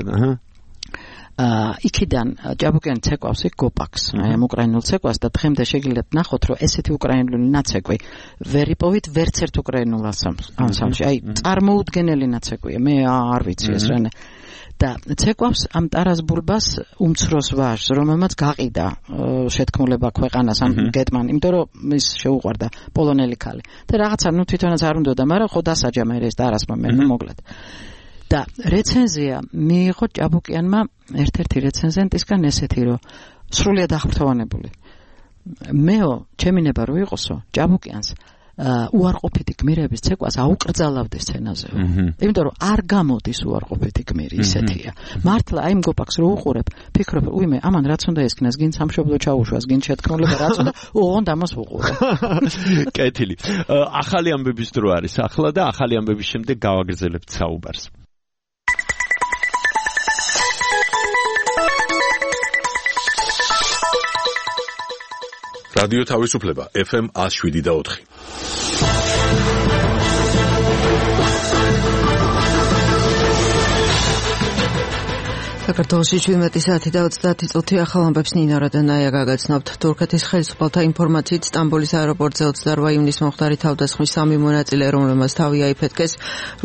იქიდან ჭაბუკიანი ცეკვავს იქ გოპაკს, აი ამ უკრაინულ ცეკვას და დღემდე შეგიძლიათ ნახოთ, რომ ესეთი უკრაინული ნაცეკვი ვერ იპოვით ვერც ერთ უკრაინულ ანსამბლში. აი წარმოუდგენელი ნაცეკვია, მე არ ვიცი ეს რანე. და ცეკვავს ამ ტარას ბულბას უმცროს ვაჟს, რომელმაც გაყიდა შეთქმულება ქვეყანას ამ გეტმან, იმიტომ რომ ის შეუყვარდა პოლონელი ქალი. და რაღაცა თვითონაც არ უნდოდა, მაგრამ ხო დასაჯა მე ეს ტარასმა მე მოკლედ. და რეცენზია მიიღო ჭაბუკიანმა ერთ-ერთი რეცენზენტისგან ესეთი, რომ სრულიად აღფრთოვანებული. მეო, ჩემი ნება რო იყოსო, ჭაბუკიანს უარყოფითი გმირების ცეკვას აუკრძალავდე სცენაზე. იმიტომ რომ არ გამოდის უარყოფითი გმირი ისეთია. მართლა აი მგოპაკს რო უყურებ, ფიქრობ, უიმე, ამან რაც უნდა ესკნას, გინ სამშობლო ჩაუშვას, გინ შეთქმულება რაც უნდა, ოღონდ ამას უყურებ. კეთილი. ახალი ამბების დრო არის ახლა და ახალი ამბების შემდეგ გავაგრძელებთ საუბარს. რადიო თავისუფლება FM 107.4. საქართველოში 17 საათი და 30 წუთი ახალ ამბებს ნინა რადანაია გაგაცნობთ. თურქეთის ხელისუფალთა ინფორმაციით სტამბოლის აეროპორტზე 28 ივნისს მომხდარი თავდასხმის 3 მონაწილე, რომელმაც თავი აიფეთქეს,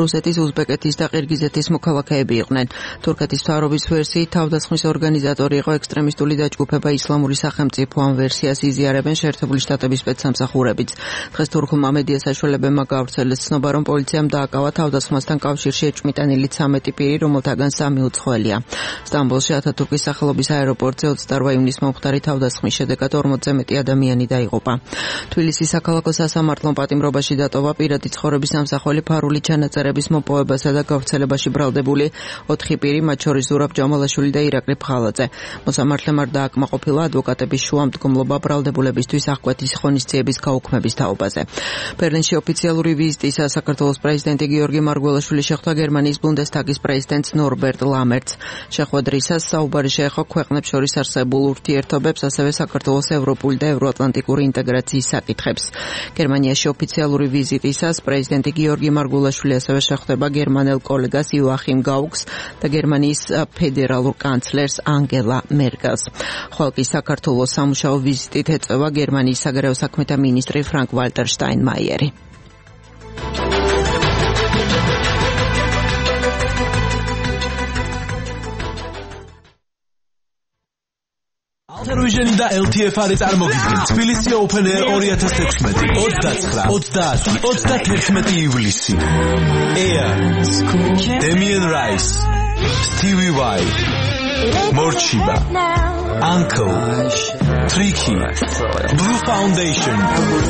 რუსეთის, უზბეკეთის და ყირგიზეთის მოქალაქეები იყვნენ. თურქეთის მთავრობის ვერსიით თავდასხმის ორგანიზატორი იყო ექსტრემისტული დაჯგუფება ისლამური სახელმწიფო, ამ ვერსიას იზიარებენ შეერთებული შტატების სპეცსამსახურებიც. დღეს თურქულმა მედია საშუალებებმა გავრცელეს ცნობა, რომ პოლიციამ დააკავა თავდასხმასთან კავშირში ეჭვმიტანილი 13 პირი, რომელთაგან 3 უცხოელია. სტამბოლში ათათურქის სახელობის აეროპორტზე 28 ივნისს მომხდარი თავდასხმის შედეგად 40-ზე მეტი ადამიანი დაიღუპა. თბილისის საქალაქო სასამართლომ პატიმრობაში დატოვა პირადი ცხოვრების სამსახველი ფარული ჩანაწერების მოპოვებასა და გავრცელებაში ბრალდებული 4 პირი, მათ შორის ზურაბ ჯამალაშვილი და ირაკლი ფხალაძე. მოსამართლემ არ დააკმაყოფილა ადვოკატების შუამდგომლობა ბრალდებულებისთვის აღკვეთის ღონისძიების გაუქმების თაობაზე. ბერლინში ოფიციალური ვიზიტისას საქართველოს პრეზიდენტი გიორგი მარგველაშვილი შეხვდა გერმანიის ბუნდესტაგის პრეზიდენტს ნორბერტ ლამერტს. შეხვედრისას საუბარი შეეხო ქვეყნებს შორის არსებულ ურთიერთობებს, ასევე საქართველოს ევროპული და ევროატლანტიკური ინტეგრაციის საკითხებს. გერმანიაში ოფიციალური ვიზიტისას პრეზიდენტი გიორგი მარგველაშვილი ასევე შეხვდება გერმანელ კოლეგას იოახიმ გაუგს და გერმანიის ფედერალურ კანცლერს ანგელა მერკელს. ხვალკი საქართველოს სამუშაო ვიზიტით ეწევა გერმანიის საგარეო საქმეთა მინისტრი ფრანკ ვალტერ შტაინმაიერი. Television და LTF-ი წარმოგიდგენ თბილისი Open Air 2016 29-30-31 ივლისი. Air Damien Rice, Stevie Vai, Morchiba, Uncle, Tricky, Blue Foundation,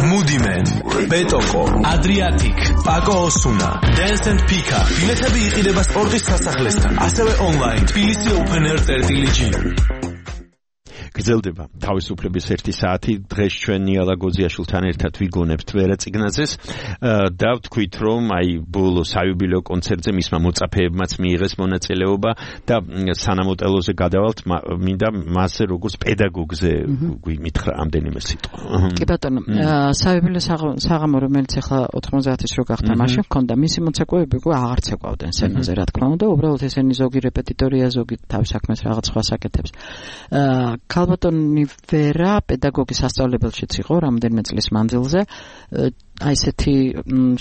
Moody Man, Betoko, Adriatic, Paco Osuna, Dance and Pika. ბილეთები იყიდება სპორტის სასახლესთან, ასევე online თბილისი Open Air 30 გრძელდება თავისუფლების 1 საათი. დღეს ჩვენ ნიალა გოზიაშვილთან ერთად ვიგონებთ ვერა წიგნაძეს და ვთქვით, რომ აი ბოლო საიუბილეო კონცერტზე მისმა მოწაფეებმაც მიიღეს მონაწილეობა და სანამოტელოზე გადავალთ, მინდა მასზე როგორც პედაგოგზე მითხრა ამდენიმე სიტყვა. კი ბატონო, საიუბილეო საღამო, რომელიც ახლა 90-ის რო გახდა, მაშინ ჰქონდა მისი მოცეკვავები, აღარ ცეკვავდნენ სცენაზე, რა თქმა უნდა, უბრალოდ ესენი ზოგი რეპეტიტორია, ზოგი თავის საქმეს რაღაც სხვა საკეთებს. ალბათონი ვერა პედაგოგის სასწავლებელშიც იყო რამდენიმე წლის მანძილზე. აი ესეთი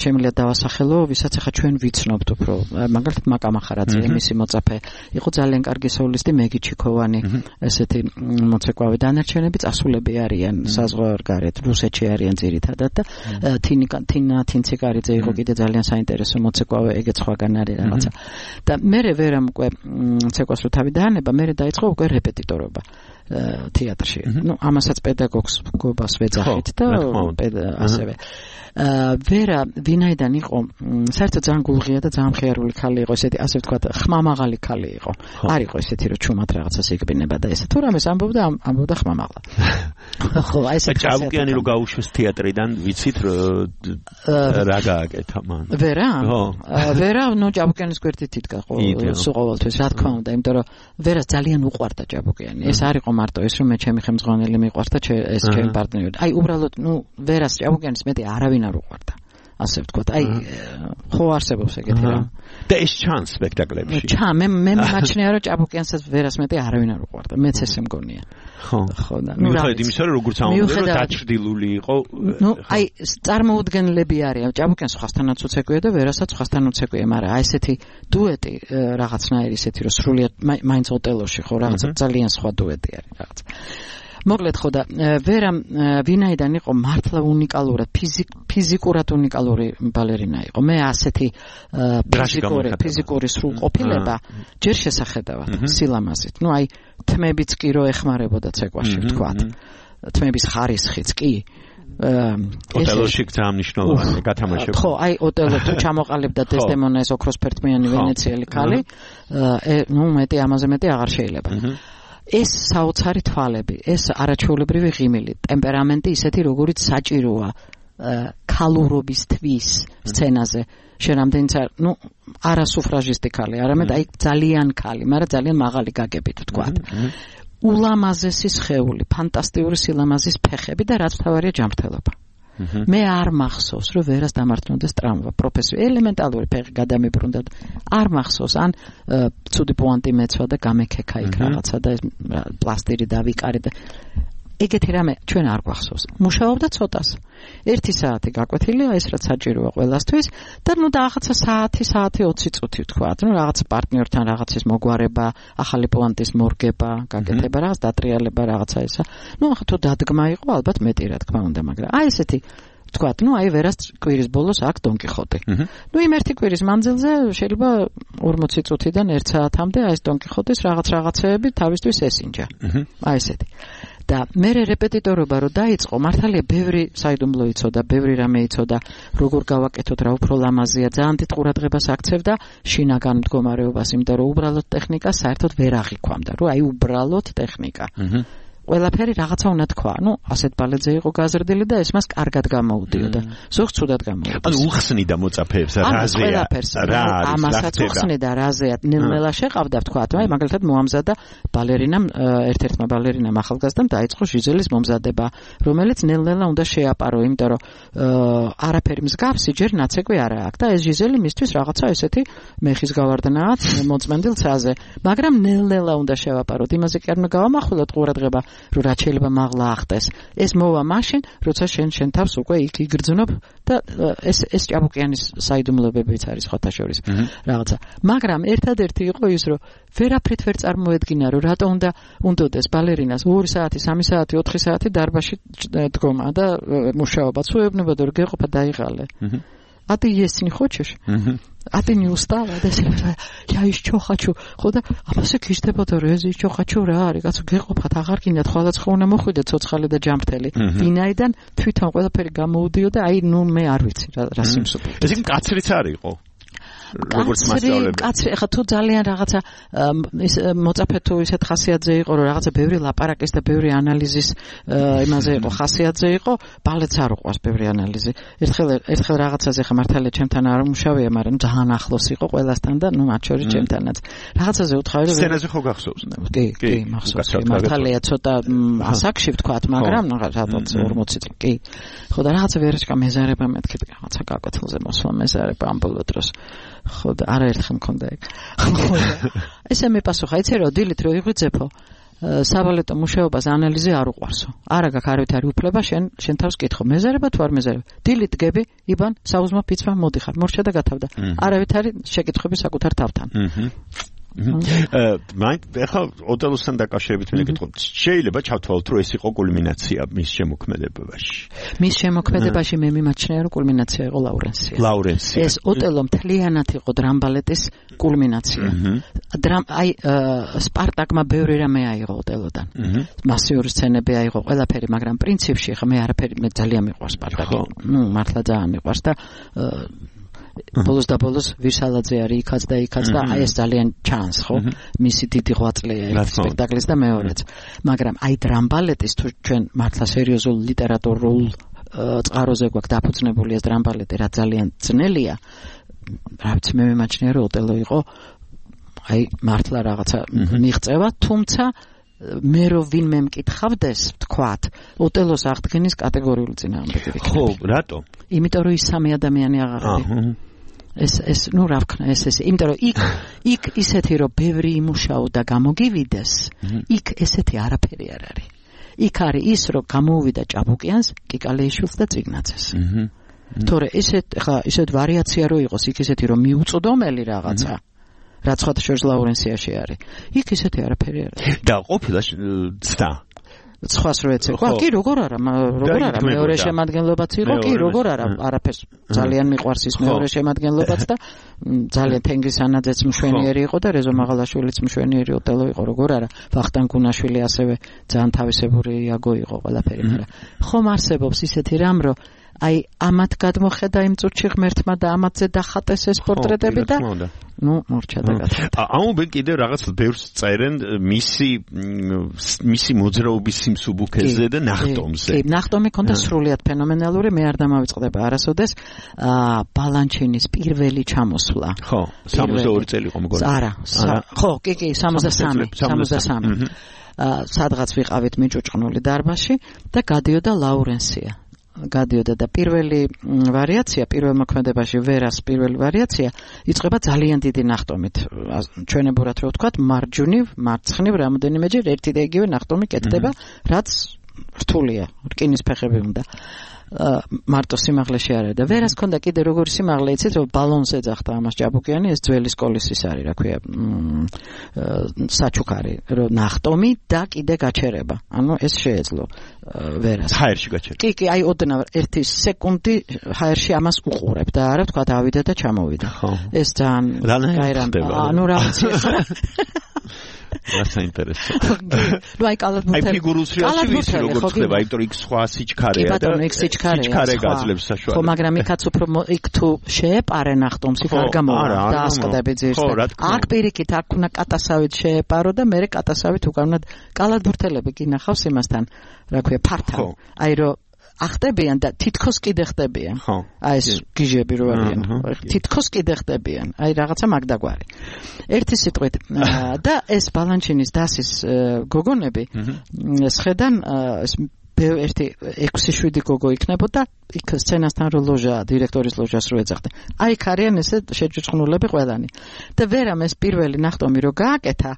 შემიძლია დავასახელო, ვისაც ახლა ჩვენ ვიცნობთ უფრო. მაგალითად მაკა მახარაძე, მისი მოწაფე, იყო ძალიან კარგი სოლისტი, მეგი ჩიქოვანი, ესეთი მოცეკვავე. დანარჩენები წასულები არიან საზღვარგარეთ, რუსეთში არიან ძირითადად და თინა თინციკარიძე იყო კიდე ძალიან საინტერესო მოცეკვავე, ეგეც სხვაგან არის რაღაცა. და მერე ვერამ უკვე ცეკვას რო თავი დაანება, მერე დაიწყო უკვე რეპეტიტორობა თეატრში. ამასაც პედაგოგს გობას ვეძახით და ასევე ვერა ვინაიდან იყო საერთოდ ძალიან გულღია და ძალიან მხიარული ქალი იყო, ესეთი ასე ვთქვათ, ხმამაღალი ქალი იყო. არ იყო ესეთი რომ ჩუმად რაღაცას იგბინება და ესე თუ რამეს ამბობდა ხმამაღლა. ხო, აი ესე ჭაბუკიანი რო გაუშვეს თეატრიდან, ვიცით რა გააკეთა მან. ვერა, ნუ ჭაბუკიანის გვერდით იდგა ყოველთვის, რა თქმა უნდა, იმიტომ რომ ვერას ძალიან უყვარდა ჭაბუკიანი. ეს არ იყო მარტო ეს რომ მე ჩემი ხელმძღვანელი მიყვარდა, ეს ჩემი პარტნიორი. აი უბრალოდ, ნუ ვერას ჭაბუკიანის მეტი არავინ არ უყვარდა. ასე ვთქვათ, აი ხო არსებობს ეგეთი რამ. და ეს ჩანს სპექტაკლებში. მე მაჩნია რომ ჭაბუკიანსაც ვერას მეტი არავინ არ უყვარდა. მეც ესე მგონია. ხო და მიუხედავად იმისა, რომ როგორც ამბობენ, რომ დაჭრდილული იყო. ნუ აი წარმოუდგენლები არიან. ჭაბუკიანს სხვასთანაც უცეკვია და ვერასაც სხვასთან უცეკვია, მაგრამ აი ესეთი დუეტი რაღაცნაირი ისეთი რომ სრულიად მაინც ოტელოში ხო რაღაცა ძალიან სხვა დუეტი არის რაღაც. მოკლედ ხო და ვერა ვინაიდან იყო მართლა უნიკალურად ფიზიკურად უნიკალური ბალერინა იყო. მე ასეთი ფიზიკური სრულყოფილება ჯერ შესახედავად სილამაზით. ნუ აი თმებიც კი რო ეხმარებოდა ცეკვაში ვთქვათ. თმების ხარისხიც კი ოტელოში ძალიან მნიშვნელოვანია გათამაშება. ხო, აი ოტელო თუ ჩამოყალიბდა დესდემონა ეს ოქროსფერტმიანი ვენეციელი ქალი, მეტი ამაზე მეტი აღარ შეიძლება. ეს საოცარი თვალები, ეს არაჩვეულებრივი ღიმილი, ტემპერამენტი ისეთი როგორიც საჭიროა ქალურობის თვის სცენაზე. შენ ამდენიც არა სუფრაჟისტი ქალი, არამედ აი ძალიან ქალი, მაგრამ ძალიან მაღალი გაგებით ვთქვათ. ულამაზესი სხეული, ფანტასტიკური სილამაზის ფეხები და რაც თავარია ჯანმრთელობა. მე არ მახსოვს, რომ ვერას დამართნოდეს ტრავმა, პროფესიო ელემენტალური ფეხი გადამიბრუნდა. არ მახსოვს, ან ცუდი პუანტი მეცვა და გამექექა იქ რაღაცა და პლასტირი დავიკარე და ეგეთი რამე ჩვენ არ გვახსოვს. მუშაობდა ცოტას. 1 საათი გაკვეთილია, ეს რაც საჭიროა ყველასთვის და რაღაცა საათი 20 წუთი ვთქვა. რაღაც პარტნიორთან რაღაცის მოგვარება, ახალი პუანტის მორგება, გაკეთება, რაღაც დატრიალება, რაღაცა ესა. ახლა თუ დადგმა იყო, ალბათ მეტი რა თქმა უნდა, მაგრამ აი ესეთი ვთქვათ, აი ვერას კვირის ბოლოს აქვს დონ კიხოტი. იმ ერთი კვირის მანძილზე შეიძლება 40 წუთიდან 1 საათამდე აი ეს დონ კიხოტის რაღაცეები თავისთვის ესინჯა. აი ესეთი. და მე რეპეტიტორობა რო დაიწყო, მართალია ბევრი საიდუმლო იცოდა, ბევრი რამე იცოდა, როგორ გავაკეთოთ, რა უფრო ლამაზია, ძალიან დიდ ყურადღებას აქცევდა შინაგან მდგომარეობას, იმიტომ რომ უბრალოდ ტექნიკა საერთოდ ვერ აღიქვამდა, რომ აი უბრალოდ ტექნიკა. ყველაფერი რაღაცა უნდა თქვა. ასეთ ბალეტზე იყო გაზრდილი და ეს მას კარგად გამოუდიოდა. ზოგ ცუდად გამოუდიოდა. ანუ უხსნიდა მოწაფეებს რაზეა. ამასაც უხსნიდა რაზეა. ნელ-ნელა შეყავდა ვთქვათ, აი მაგალითად მოამზადა ბალერინამ, ერთ-ერთმა ბალერინამ ახალგაზრდამ დაიწყო ჟიზელის მომზადება, რომელიც ნელ-ნელა უნდა შეაპარო, იმიტომ რომ არაფერი მსგავსი ჯერ ნაცეკვი არა აქვს და ეს ჟიზელი მისთვის რაღაცა ესეთი მეხის გავარდნაა მოწმენდილ ცაზე. მაგრამ ნელ-ნელა უნდა შევაპაროთ. იმაზე კი არ უნდა გავამახვილოთ ყურადღება რომ რაც შეიძლება მაღლა ახტეს. ეს მოვა მაშინ, როცა შენ თავს უკვე იქ იგრძნობ და ეს ჭაბუკიანის საიდუმლოებებიც არის ხოთა შორის რაღაცა. მაგრამ ერთადერთი იყო ის, რომ ვერაფრით ვერ წარმოედგინა, რომ რატო უნდა უნდოდეს ბალერინას 2 საათი, 3 საათი, 4 საათი დარბაზში დგომა და მუშაობა. ცუებნებოდა რომ გეყოფა დაიღალე. А ты есть не хочешь? А ты не устала? Я еще хочу. ხოდა ამასე გიждდებოდა რომ ეს еще хочу რა არის? კაცო გეყოფათ აღარ გინდათ ხვალაცხო უნდა მოხვიდე ცოცხალი და ჯამრთელი. ვინაიდან თვითონ ყველაფერი გამოუდიოდა, აი მე არ ვიცი რა სიმსუბუქე. ეს კაცრიც არ იყო. კაცრი ახლა თუ ძალიან რაღაცა ის მოწაფე თუ ისეთ ხასიათზე იყო რომ რაღაცა ბევრი ლაპარაკის და ბევრი ანალიზის იმაზე იყო ხასიათზე იყო, ბალეტს არ უყვარს ბევრი ანალიზი. ერთხელ რაღაცაზე ხა მართალია ჩემთან არ მუშავია, მაგრამ ძალიან ახლოს იყო ყველასთან და მათ შორის ჩემთანაც. რაღაცაზე უთხარი რომ სცენაზე ხო გახსოვს? კი, მახსოვს. მართალია ცოტა ასაკში ვთქვათ, მაგრამ რაღაც 40 წელი. კი. ხო და რაღაცა ვერაჩკა მეზარება მეთქი რაღაცა გაკვეთილზე მოსვლა მეზარება ამ ბოლო დროს. ხო და არაერთხელ მქონდა ეგ. ესე მეპასუხა, იცი რომ დილით რო იღვიძებო, საბალეტო მუშაობას ანალიზი არ უყვარსო. არა გაქვს არავითარი უფლება შენ თავს კითხო, მეზარება თუ არ მეზარება. დილით გები, იბან, საუზმო ფიცმა მოდიხარ, მორჩა და გათავდა. არავითარი შეკითხვები საკუთარ თავთან. ახლა ოტელოსთან დაკავშირებით მე გითხო, შეიძლება ჩავთვალოთ, რომ ეს იყო კულმინაცია მის შემოქმედებაში. მის შემოქმედებაში მე მიმაჩნია, რომ კულმინაცია იყო ლაურენსია. ეს ოტელო მთლიანად იყო დრამბალეტის კულმინაცია. აი სპარტაკმა ბევრი რამე აიღო ოტელოდან. მასიური სცენები აიღო, ყველაფერი, მაგრამ პრინციპში ხა მე არაფერი მე ძალიან მიყვარს სპარტაკი. მართლა ძალიან მიყვარს და ბოლოს და ბოლოს ვირსალაძე არის იქაც და იქაც და აი ეს ძალიან ჩანს, ხო? მისი დიდი ღვაწლია ეს სპექტაკლის და მეორეც. მაგრამ აი დრამბალეტის თუ ჩვენ მართლა სერიოზულ ლიტერატურულ წყაროზე გვაქვს დაფუძნებული ეს დრამბალეტი, რა ძალიან ძნელია. რა ვიცი, მე მიმაჩნია რომ ოტელო იყო აი მართლა რაღაცა მიღწევა, თუმცა მე რო ვინმე მკითხავდეს, ვთქვათ, ოტელოს აღდგენის კატეგორიული წინააღმდეგი ვიქნები. ხო, რატო? იმიტომ რომ ის სამი ადამიანი აღარ არის. ეს რა ვქნა, ეს იმიტომ რომ იქ ისეთი რომ ბევრი იმუშაო და გამოგივიდეს, იქ ესეთი არაფერი არ არის. იქ არის ის რომ გამოუვიდა ჭაბუკიანს, კიკალეიშვილს და წიგნაძეს. თორე ისეთ ვარიაცია რო იყოს, იქ ისეთი რომ მიუწვდომელი რაღაცა რაც ხოთა შორის ლაურენსიაში არის. იქ ისეთი არაფერი არ არის. და ყოფილა ცდა. სხვას რო ეცეკვა კი როგორ არა მეორე შემადგენლობაც იყო კი როგორ არა არაფერს ძალიან მიყვარს ის მეორე შემადგენლობაც და ძალიან თენგის ანაძეც მშვენიერი იყო და რეზო მაღალაშვილიც მშვენიერი ოტელო იყო როგორ არა ვახტანგ გუნაშვილი ასევე ძალიან თავისებური იაგო იყო ყველაფერი მაგრამ ხომ არსებობს ისეთი რამ რომ აი ამათ გადმოხედა იმ წუთში ღმერთმა და ამათზე დახატეს ეს პორტრეტები და ნუ მორჩა და გადა. აუმბენ კიდევ რაღაც ბევრს წერენ მისი მოძრაობის სიმსუბუქეზე და ნახტომზე. კი, ნახტომი ქონდა სრულიად ფენომენალური, მე არ დამავიწყდება არასოდეს ბალანჩინის პირველი ჩამოსვლა. ხო, 62 წელი იყო მგონი. არა, ხო, კი, 63. სადღაც ვიყავით მიჭუჭყნული დარბაზში და გადიოდა ლაურენსია. გადიოდა და პირველი ვარიაცია პირველ მოქმედებაში ვერას პირველი ვარიაცია იწყება ძალიან დიდი ნახტომით ჩვენებურად რო ვთქვათ მარცხნივ რამოდენიმეჯერ ერთი და იგივე ნახტომი კეთდება რაც რთულია რკინის ფეხები უნდა მარტო სიმაღლეში არა და ვერას ქონდა კიდე როგორი სიმაღლე იცით რომ ბალონს ეძახდა ამას ჭაბუკიანი ეს ძველი სკოლის ის არის რა ქვია საჩუქარი რომ ნახტომი და კიდე გაჩერება ანუ ეს შეეძლო ვერას ჰაერში გაჩერება კი აი ოდნავ 1 სეკუნდი ჰაერში ამას უყურებ და არა თქვა დავიდა და ჩამოვიდა ეს ძალიან გაირამება ანუ რაღაც რა საინტერესო. ნუ აი კალათბურთელი. აი ფიგურულ სრიალში ვიცი როგორ ხდება, იმიტომ იქ სხვა სიჩქარეა და სიჩქარე გაძლევს საშუალებას. ხო, მაგრამ იქაც უფრო იქ თუ შეეპარე ნახტომს იქ არ გამოვა და ასყდები ძირს. აქ პირიქით აქ უნდა კატასავით შეეპარო და მე კატასავით უკან უნდა კალათბურთელები კი ნახავს იმასთან, რა ქვია, ფართან. აი რომ ახტებიან და თითქოს კიდე ხდებიან. აი ეს გიჟები რო არიან. თითქოს კიდე ხდებიან. აი რაღაცა მაგდაგვარი. ერთი სიტყვით და ეს ბალანჩინის დასის გოგონები სხედან ერთი 6-7 გოგო იქნებოდა იქ სცენასთან რო ლოჟა დირექტორის ლოჟას რო ეძახდა. აი იქ არიან ესე შეჯუჭყნულები ყველანი. და ვერამ ეს პირველი ნახტომი რო გააკეთა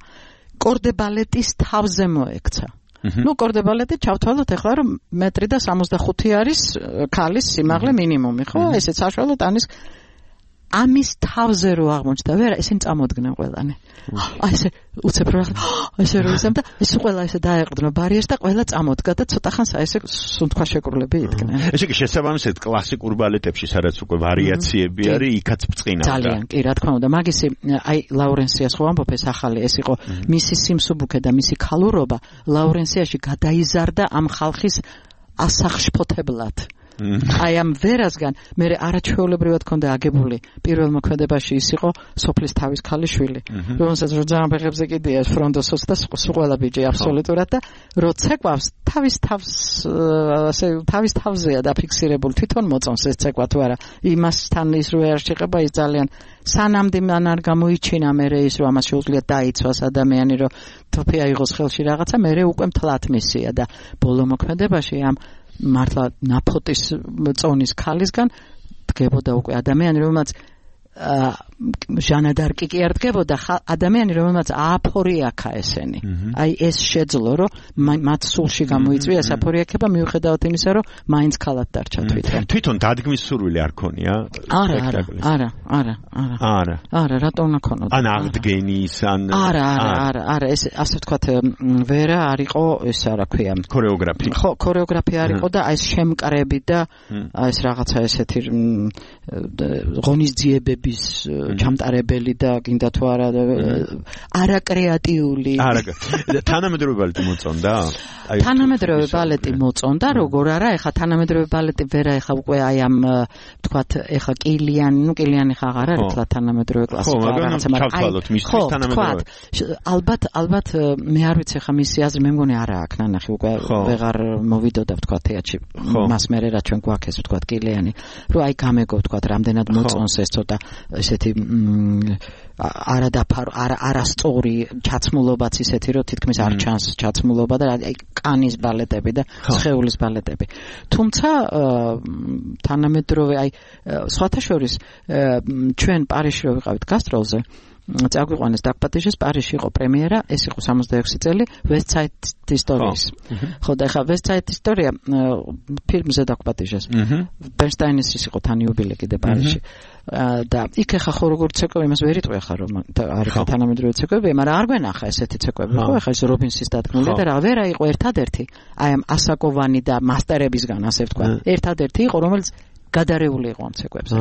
კორდებალეტის თავზე მოექცა. ნუ კორდებალეტი ჩავთვალოთ ახლა რომ 1.65 არის ქალის სიმაღლე მინიმუმი ხო ესეც საშუალო ტანის ამის თავზე რო აღმოჩნდა ვერა ესენ წამოდგნენ ყველანი აი ესე უცებ რო ესე რო ისამ და ეს ყველა ესე დაეყრდნო ბარიერს და ყველა წამოდგა და ცოტა ხანს აი ესე სუნთქვა შეკრულები იდგნენ ესე იგი შესაბამისად კლასიკურ ბალეტებში სადაც უკვე ვარიაციები არის იქაც ბრწყინავდა ძალიან კი რა თქმა უნდა მაგისი აი ლაურენსიას ხო ამბობ ეს ახალი ეს იყო მისი სიმსუბუქე და მისი ქალურობა ლაურენსიაში გადაიზარდა ამ ხალხის ასახშფოთებლად აი ამ ვერასგან მე არაჩვეულებრივად ქონდა აგებული პირველ მოქმედებაში ის იყო სოფლის თავის ქალიშვილი რომელსაც რო ძალიან ფეხებზე კიდია ფრონდოსოს და ყველა ბიჭი აბსოლუტურად და რო ცეკვავს თავის თავზეა დაფიქსირებული თვითონ მოწონს ეს ცეკვა თუ არა იმასთან ის რო არ შეეხება ის ძალიან სანამდე მან არ გამოიჩინა მე ის რომ ამას შეუძლია დაიცვას ადამიანი რომ თოფი აიღოს ხელში რაღაცა მე უკვე მთლად მისია და ბოლო მოქმედებაში ამ მართლა ნაფოტის წონის ქალისგან დგებოდა უკვე ადამიანი რომელმაც ჟანა დარკი კი არ დგებოდა ადამიანი რომელმაც აფორიაკა ესენი აი ეს შეძლო რომ მათ სულში გამოიწვია ეს აფორიაკება მიუხედავად იმისა რომ მაინც ქალად დარჩა თვითონ დადგმის სურვილი არ ქონია არა რატო უნდა ქონოდა ან აღდგენის ან არა ეს ასე ვთქვათ ვერა არ იყო ეს რა ქვია ქორეოგრაფი ხო ქორეოგრაფი არ იყო და აი ეს შემკრები და აი ეს რაღაცა ესეთი ღონისძიებები ჩამტარებელი და გინდა თუ არა არაკრეატიული თანამედროვე ბალეტი მოწონდა აი თანამედროვე ბალეტი მოწონდა როგორ არა ეხა თანამედროვე ბალეტი ვერა ეხა უკვე აი ამ ვთქვათ ეხა კილიანი ხა აღარ არის თლა თანამედროვე კლასიკა რაღაცა მაგრამ მისთვის თანამედროვე ალბათ მე არ ვიცი ეხა მისი აზრი მე მგონი არა აქ ნანახი უკვე ვეღარ მოვიდოდა ვთქვათ თეატრში მას მერე რა ჩვენ გვაქვს ეს ვთქვათ კილიანი რომ აი გამეგო ვთქვათ რამდენად მოწონს ეს ცოტა ესეთი არასწორი ჩაცმულობაც ისეთი რომ თითქმის არ ჩანს ჩაცმულობა და აი კანის ბალეტები და სხეულის ბალეტები თუმცა თანამედროვე აი სხვათა შორის ჩვენ პარიზში რო ვიყავით გასტროლზე წაგვიყვანეს დაგპატიჟეს პარიზში იყო პრემიერა, ეს იყო 66 წელი West Side ისტორიის. ხო და ეხლა West Side ისტორია ფილმზე დაგპატიჟეს. ბერნსტაინის ის იყო თან იუბილე კიდე პარიზში. და იქ ეხა ხო როგორ ცეკვები იმას ვერ იტყვი ახლა რომ არის თანამედროვე ცეკვები, მაგრამ არ გვენახა ესეთი ცეკვები, ხო? ეხლა ეს რობინსის დადგმული და რა ვერა იყო ერთადერთი, აი ამ ასაკოვანი და მასტერებისგან ასე ვთქვა. ერთადერთი იყო, რომელიც გადარეული იყო ამ ცეკვებზე.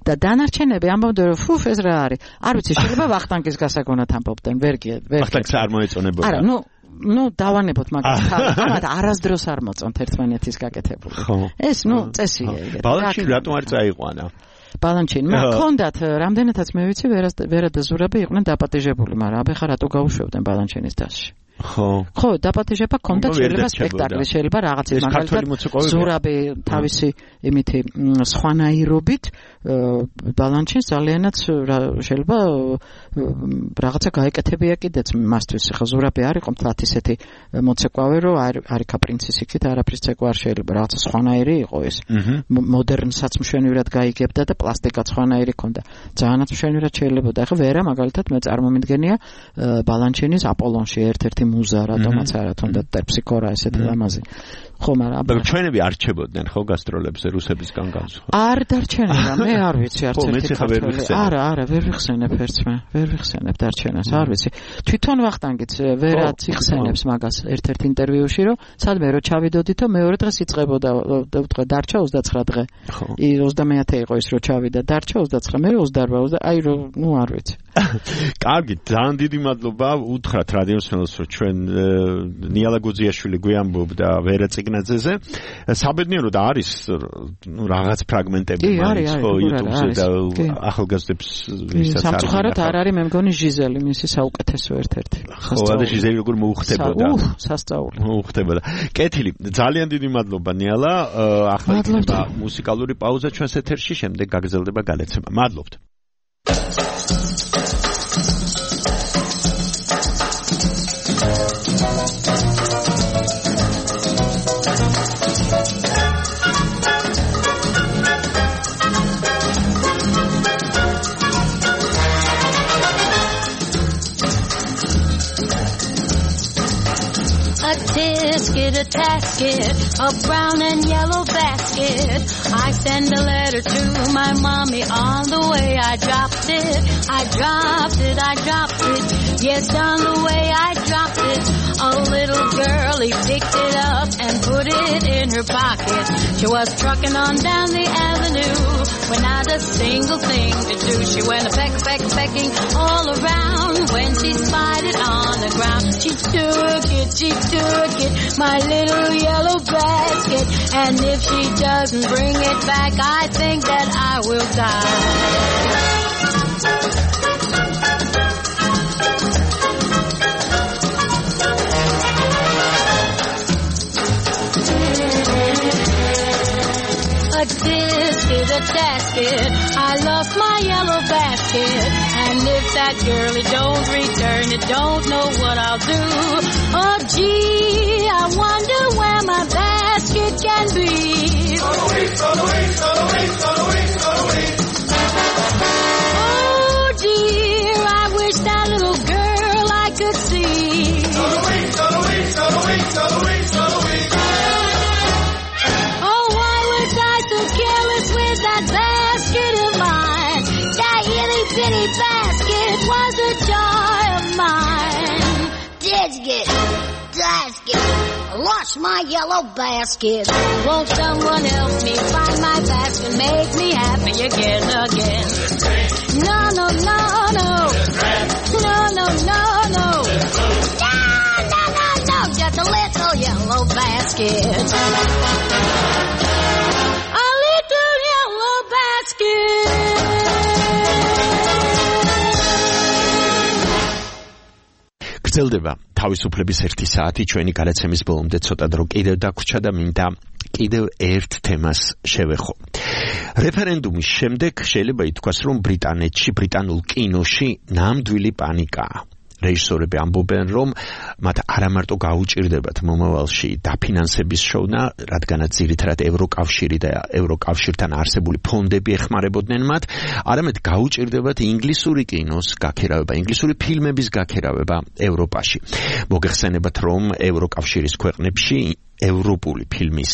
და დანარჩენები ამბობდნენ რომ ფუფ ეს რა არის? არ ვიცი, შეიძლება ვახტანგის გასაგონად ამბობდნენ, ვერ ვახტანგს არ მოეწონებოდა. არა, ნუ დავანებოთ მაგას. ამათ არასდროს არ მოწონთ ერთმანეთის გაკეთებული. ეს წესია ეგეთი. ბალანჩინი რატომ არ წაიყვანა? ბალანჩინი მაქონდათ რამდენადაც მე ვიცი ვერა და ზურაბი იყვნენ დაპატიჟებული, მაგრამ აბეხა რატო გაუშვებდნენ ბალანჩინის დასში? ხო, დაპატიჟება ქონდათ, შეიძლება სპექტაკლი, შეიძლება რაღაც მაგალითად ზურაბი თავისი იმითი სხვანაირობით ბალანჩინს ძალიანაც შეიძლება რაღაცა გაეკეთებია კიდეც მასთვის. ხა ზურაბი არ იყო მთლად ისეთი მოცეკვავე, რომ არიქა პრინცის იქით არაფრის ცეკვა არ შეიძლება, რაღაცა სხვანაირი იყო ეს. მოდერნსაც მშვენივრად გაიგებდა და პლასტიკაც სხვანაირი ქონდა. ძალიანაც მშვენივრად შეიძლებოდა. ხა ვერა მაგალითად მე წარმომიდგენია ბალანჩინის აპოლონში ერთ-ერთი მუზა რატომაც არა თუნდაც ტერფსიქორა ესეთი ლამაზი. ხო, მაგრამ ჩვენები არჩებოდნენ ხო გასტროლებზე რუსებისგან განსხვავებით? არ დარჩენება, მე არ ვიცი არც ერთი ქართველი. არა, ვერ ვიხსენებ ერთს მე. ვერ ვიხსენებ დარჩენას, არ ვიცი. თვითონ ვახტანგიც ვერაც იხსენებს მაგას ერთ-ერთ ინტერვიუში, რომ სადმე რო ჩავიდოდითო მეორე დღეს იწყებოდა და დარჩა 29 დღე. 29 იყო ის რო ჩავიდა, დარჩა 29, მე 28, აი რომ არ ვიცი. კარგი, ძალიან დიდი მადლობა უთხრათ რადიოსმელს, რომ ჩვენ ნიალა გუძიაშვილი გვიამბობდა ვერა ციგნაძეზე. საბედნიეროდ არის რაღაც ფრაგმენტები მაინც ხო YouTube-ზე და ახალგაზრდებს ვისაც არის. სამწუხაროდ არ არის მე მგონი ჟიზელი, მისი საუკეთესო ერთ-ერთი. ხო, და ჟიზელი როგორ მოუხდებოდა. სასწაული. მოუხდებოდა. კეთილი, ძალიან დიდი მადლობა ნიალა. ახლა იქნება მუსიკალური პაუზა ჩვენს ეთერში, შემდეგ გაგრძელდება განაცემა. მადლობთ. A tasket, a brown and yellow basket. I send a letter to my mommy on the way. I dropped it. Yes, on the way I dropped it. A little girlie picked it up and put it in her pocket. She was trucking on down the avenue with not a single thing to do. She went pecking all around when she spied it on the ground. She took it, my little yellow basket. And if she doesn't bring it back, I think that I will die. A disket, a tasket, I lost my yellow basket. And if that girlie don't return it, don't know what I'll do. Oh gee, I wonder where my basket can be. Oh dear, I wish that little girl I could see. Oh, why was I so careless with that basket of mine? That itty bitty basket was a joy of mine. Basket, lost my yellow basket. Won't someone help me find my basket? Make me happy again. No. No, just a little yellow basket. A little yellow basket. გრძელდება თავისუფლების 1 საათი ჩვენი გადაცემის ბოლომდე ცოტა დრო კიდევ დაგვრჩა და მინდა კიდევ ერთ თემას შევეხო. რეფერენდუმის შემდეგ შეიძლება ითქვას, რომ ბრიტანეთში, ბრიტანულ კინოში ნამდვილი პანიკაა. რეჟისორები ამბობენ, რომ მათ არამარტო გაუჭირდებათ მომავალში დაფინანსების შოვნა, რადგანაც ძირითადად ევროკავშირი და ევროკავშირთან არსებული ფონდები ეხმარებოდნენ მათ, არამედ გაუჭირდებათ ინგლისური კინოს გაქერავება, ინგლისური ფილმების გაქერავება ევროპაში. მოგეხსენებათ, რომ ევროკავშირის ქვეყნებში ევროპული ფილმის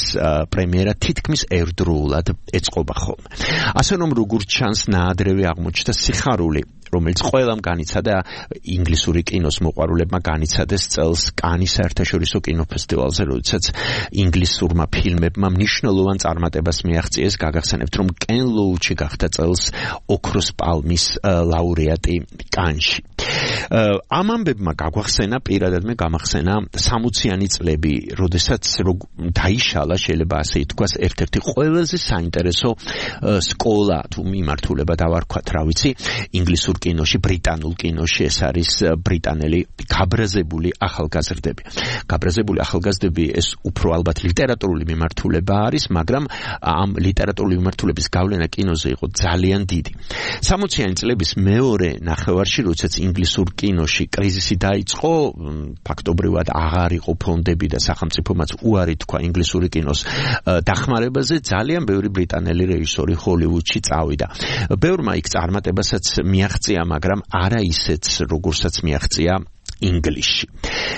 პრემიერა თითქმის ერთდროულად ეწყობა ხოლმე. ასე რომ როგორც ჩანს, ნაადრევი აღმოჩნდა სიხარული, რომელიც ყველამ განიცადა ინგლისური კინოს მოყვარულებმა განიცადეს წელს კანის საერთაშორისო კინოფესტივალზე, როდესაც ინგლისურმა ფილმებმა მნიშვნელოვან წარმატებას მიაღწიეს. გაგახსენებთ, რომ კენ ლოუჩი გახდა წელს ოქროს პალმის ლაურეატი კანში. ამ ამბებმა გაგვახსენა, პირადად მე გამახსენა 60-იანი წლები, როდესაც დაიშალა, შეიძლება ასე ითქვას, ერთ-ერთი ყველაზე საინტერესო სკოლა თუ მიმართულება დავარქვათ, რა ვიცი, ინგლისურ კინოში, ბრიტანულ კინოში, ეს არის ბრიტანელი გაბრაზებული ახალგაზრდები. გაბრაზებული ახალგაზრდები ეს უფრო ალბათ ლიტერატურული მიმართულება არის, მაგრამ ამ ლიტერატურული მიმართულების გავლენა კინოზე იყო ძალიან დიდი. 60-იანი წლების მეორე ნახევარში, როდესაც ინგლისურ კინოში კრიზისი დაიწყო, ფაქტობრივად აღარ იყო ფონდები და სახელმწიფომაც უარი თქვა ინგლისური კინოს დახმარებაზე, ძალიან ბევრი ბრიტანელი რეჟისორი ჰოლივუდში წავიდა. ბევრმა იქ წარმატებასაც მიაღწია, მაგრამ არა ისეც, როგორცაც მიაღწია ინგლისში.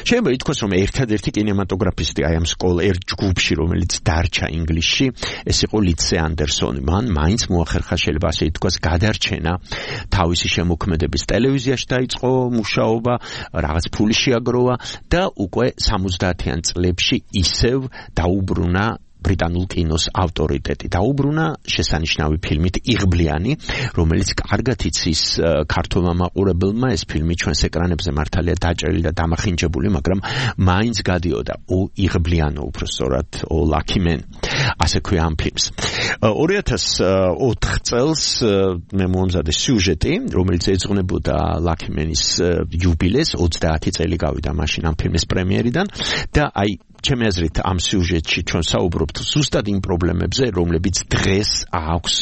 შეიძლება ითქვას, რომ ერთადერთი კინემატოგრაფისტი აი ამ ერთ ჯგუფში, რომელიც დარჩა ინგლისში, ეს იყო ლიცე ანდერსონი. მან მაინც მოახერხა, შეიძლება ასე ითქვას, გადარჩენა თავისი შემოქმედების. ტელევიზიაში დაიწყო მუშაობა, რაღაც ფული შეაგროვა და უკვე 70-იან წლებში ისევ დაუბრუნა ბრიტანულ კინოს ავტორიტეტი. დაუბრუნა შესანიშნავი ფილმით იღბლიანი, რომელიც კარგად იცის ქართულმა მაყურებელმა. ეს ფილმი ჩვენს ეკრანებზე მართალია დაჭერილი და დამახინჯებული, მაგრამ მაინც გადიოდა იღბლიანო, უფრო სწორად Lucky Man. ასე ქვია ამ ფილმს. 2004 წელს მე მომზადე სიუჟეტი, რომელიც ეძღვნებოდა Lucky Man-ის იუბილეს, 30 წელი გავიდა მაშინ ამ ფილმის პრემიერიდან და აი ჩემი აზრით ამ სიუჟეტში ჩვენ საუბრობთ ზუსტად იმ პრობლემებზე, რომლებიც დღეს აქვს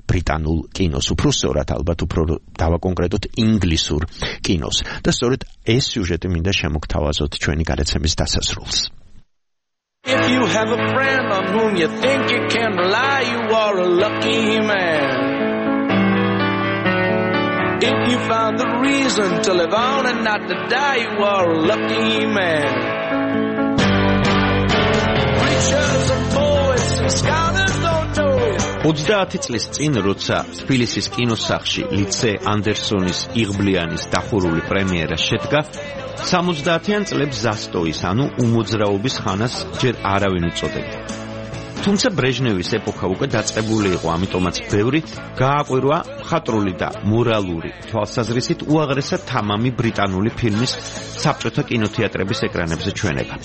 ბრიტანულ კინოს, უფრო სწორად ალბათ უფრო დავაკონკრეტოთ ინგლისურ კინოს. და სწორედ ეს სიუჟეტი მინდა შემოგთავაზოთ ჩვენი გადაცემის დასასრულს. If you have a friend on whom you think you can rely, you are a lucky man. If you found the reason to live on and not to die, you are a lucky man. 30 წლის წინ, როცა თბილისის კინოსახლში ლიცე ანდერსონის იღბლიანის დახურული პრემიერა შედგა, 70-იან წლებს ზასტოის, ანუ უმოძრაობის ხანას ჯერ არავინ უწოდებდა. თუმცა ბრეჟნევის ეპოქა უკვე დაწყებული იყო, ამიტომაც ბევრი გააკვირვა მხატვრული და მორალური თვალსაზრისით უაღრესად თამამი ბრიტანული ფილმის საბჭოთა კინოთეატრების ეკრანებზე ჩვენება.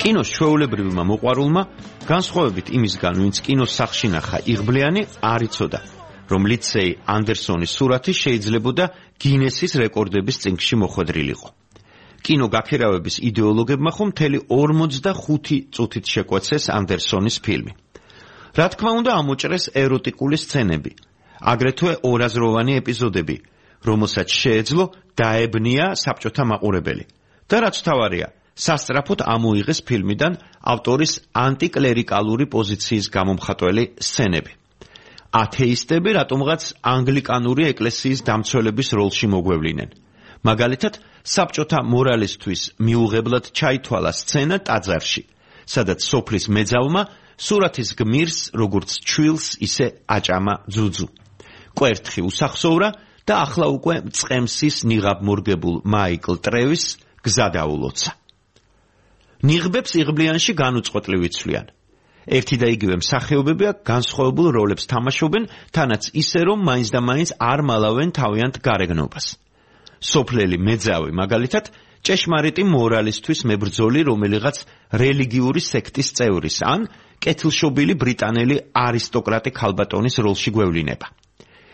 კინოს ჩვეულებრივმა მოყვარულმა, განსხვავებით იმისგან, ვინც კინოსახლში ნახა იღბლიანი, არ იცოდა, რომ ლიცეი ანდერსონის სურათი შეიძლებოდა გინესის რეკორდების წიგნში მოხვედრილიყო. კინო გაქერავების იდეოლოგებმა ხომ მთელი 45 წუთით შეკვეცეს ანდერსონის ფილმი. რა თქმა უნდა, ამოჭრეს ეროტიკული სცენები, აგრეთვე ორაზროვანი ეპიზოდები, რომელსაც შეეძლო დაებნია საბჭოთა მაყურებელი. და რაც თავარია, სასწრაფოდ ამოიღეს ფილმიდან ავტორის ანტიკლერიკალური პოზიციის გამომხატველი სცენები. ათეისტები რატომღაც ანგლიკანური ეკლესიის დამცველების როლში მოგვევლინენ. მაგალითად, საბჭოთა მორალისთვის მიუღებლად ჩაითვალა სცენა ტაძარში, სადაც სოფლის მეძავმა სურათის გმირს როგორც ჩვილს, ისე აჭამა ძუძუ. კვერთხი უსახსოვრა და ახლა უკვე მწყემსის ნიღაბმორგებულ მაიკლ ტრევის გზა დაულოცა. ნიღბებს იღბლიანში განუწყვეტლივ იცვლიან. ერთი და იგივე მსახიობები განსხვავებულ როლებს თამაშობენ, თანაც ისე რომ მაინც და მაინც არ მალავენ თავიანთ გარეგნობას. სოფლელი მეძავი, მაგალითად, ჭეშმარიტი მორალისთვის მებრძოლი რომელიღაც რელიგიური სექტის წევრის ან კეთილშობილი ბრიტანელი არისტოკრატი ქალბატონის როლში გვევლინება.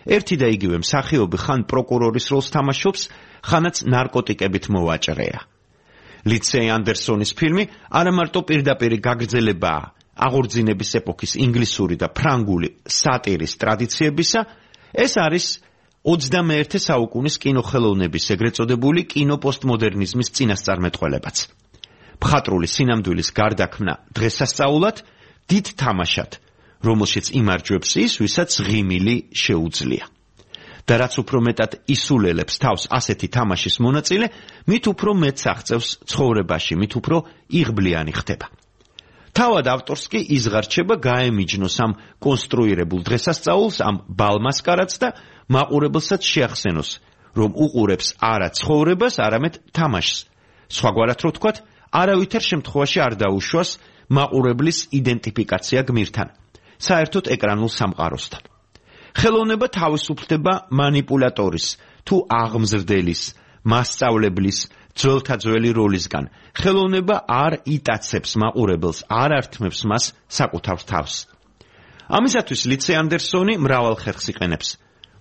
ერთი და იგივე მსახიობი ხან პროკურორის როლს თამაშობს, ხანაც ნარკოტიკებით მოვაჭრეა. ლიცეი ანდერსონის ფილმი არა მარტო პირდაპირ გაგრძელებაა აღორძინების ეპოქის ინგლისური და ფრანგული სატირის ტრადიციებისა, ეს არის 21 საუკუნის კინოხელოვნების ეგრეთ წოდებული კინოპოსტმოდერნიზმის წინასწარმეტყველებაც. მხატვრული სინამდვილის გარდაქმნა დღესასწაულად დიდ თამაშად, რომელშიც იმარჯვებს ის, ვისაც ღიმილი შეუძლია. და რაც უფრო მეტად ისულელებს თავს ასეთი თამაშის მონაწილე, მით უფრო მეტს აღწევს ცხოვრებაში, მით უფრო იღბლიანი ხდება. თავად ავტორს კი იზღარჩება გაემიჯნოს ამ კონსტრუირებულ დღესასწაულს, ამ ბალმასკარადს და მაყურებელსაც შეახსენოს, რომ უყურებს არა ცხოვრებას, არამედ თამაშს. სხვაგვარად რო ვთქვათ, არავითარ შემთხვევაში არ დაუშვას მაყურებლის იდენტიფიკაცია გმირთან, საერთოდ ეკრანულ სამყაროსთან. ხელოვნება თავისუფლდება მანიპულატორის თუ აღმზრდელის, მასწავლებლის, ძველთაძველი როლისგან. ხელოვნება არ იტაცებს მაყურებელს, არ ართმევს მას საკუთარ თავს. ამისათვის ლიცე ანდერსონი მრავალ ხერხს იყენებს,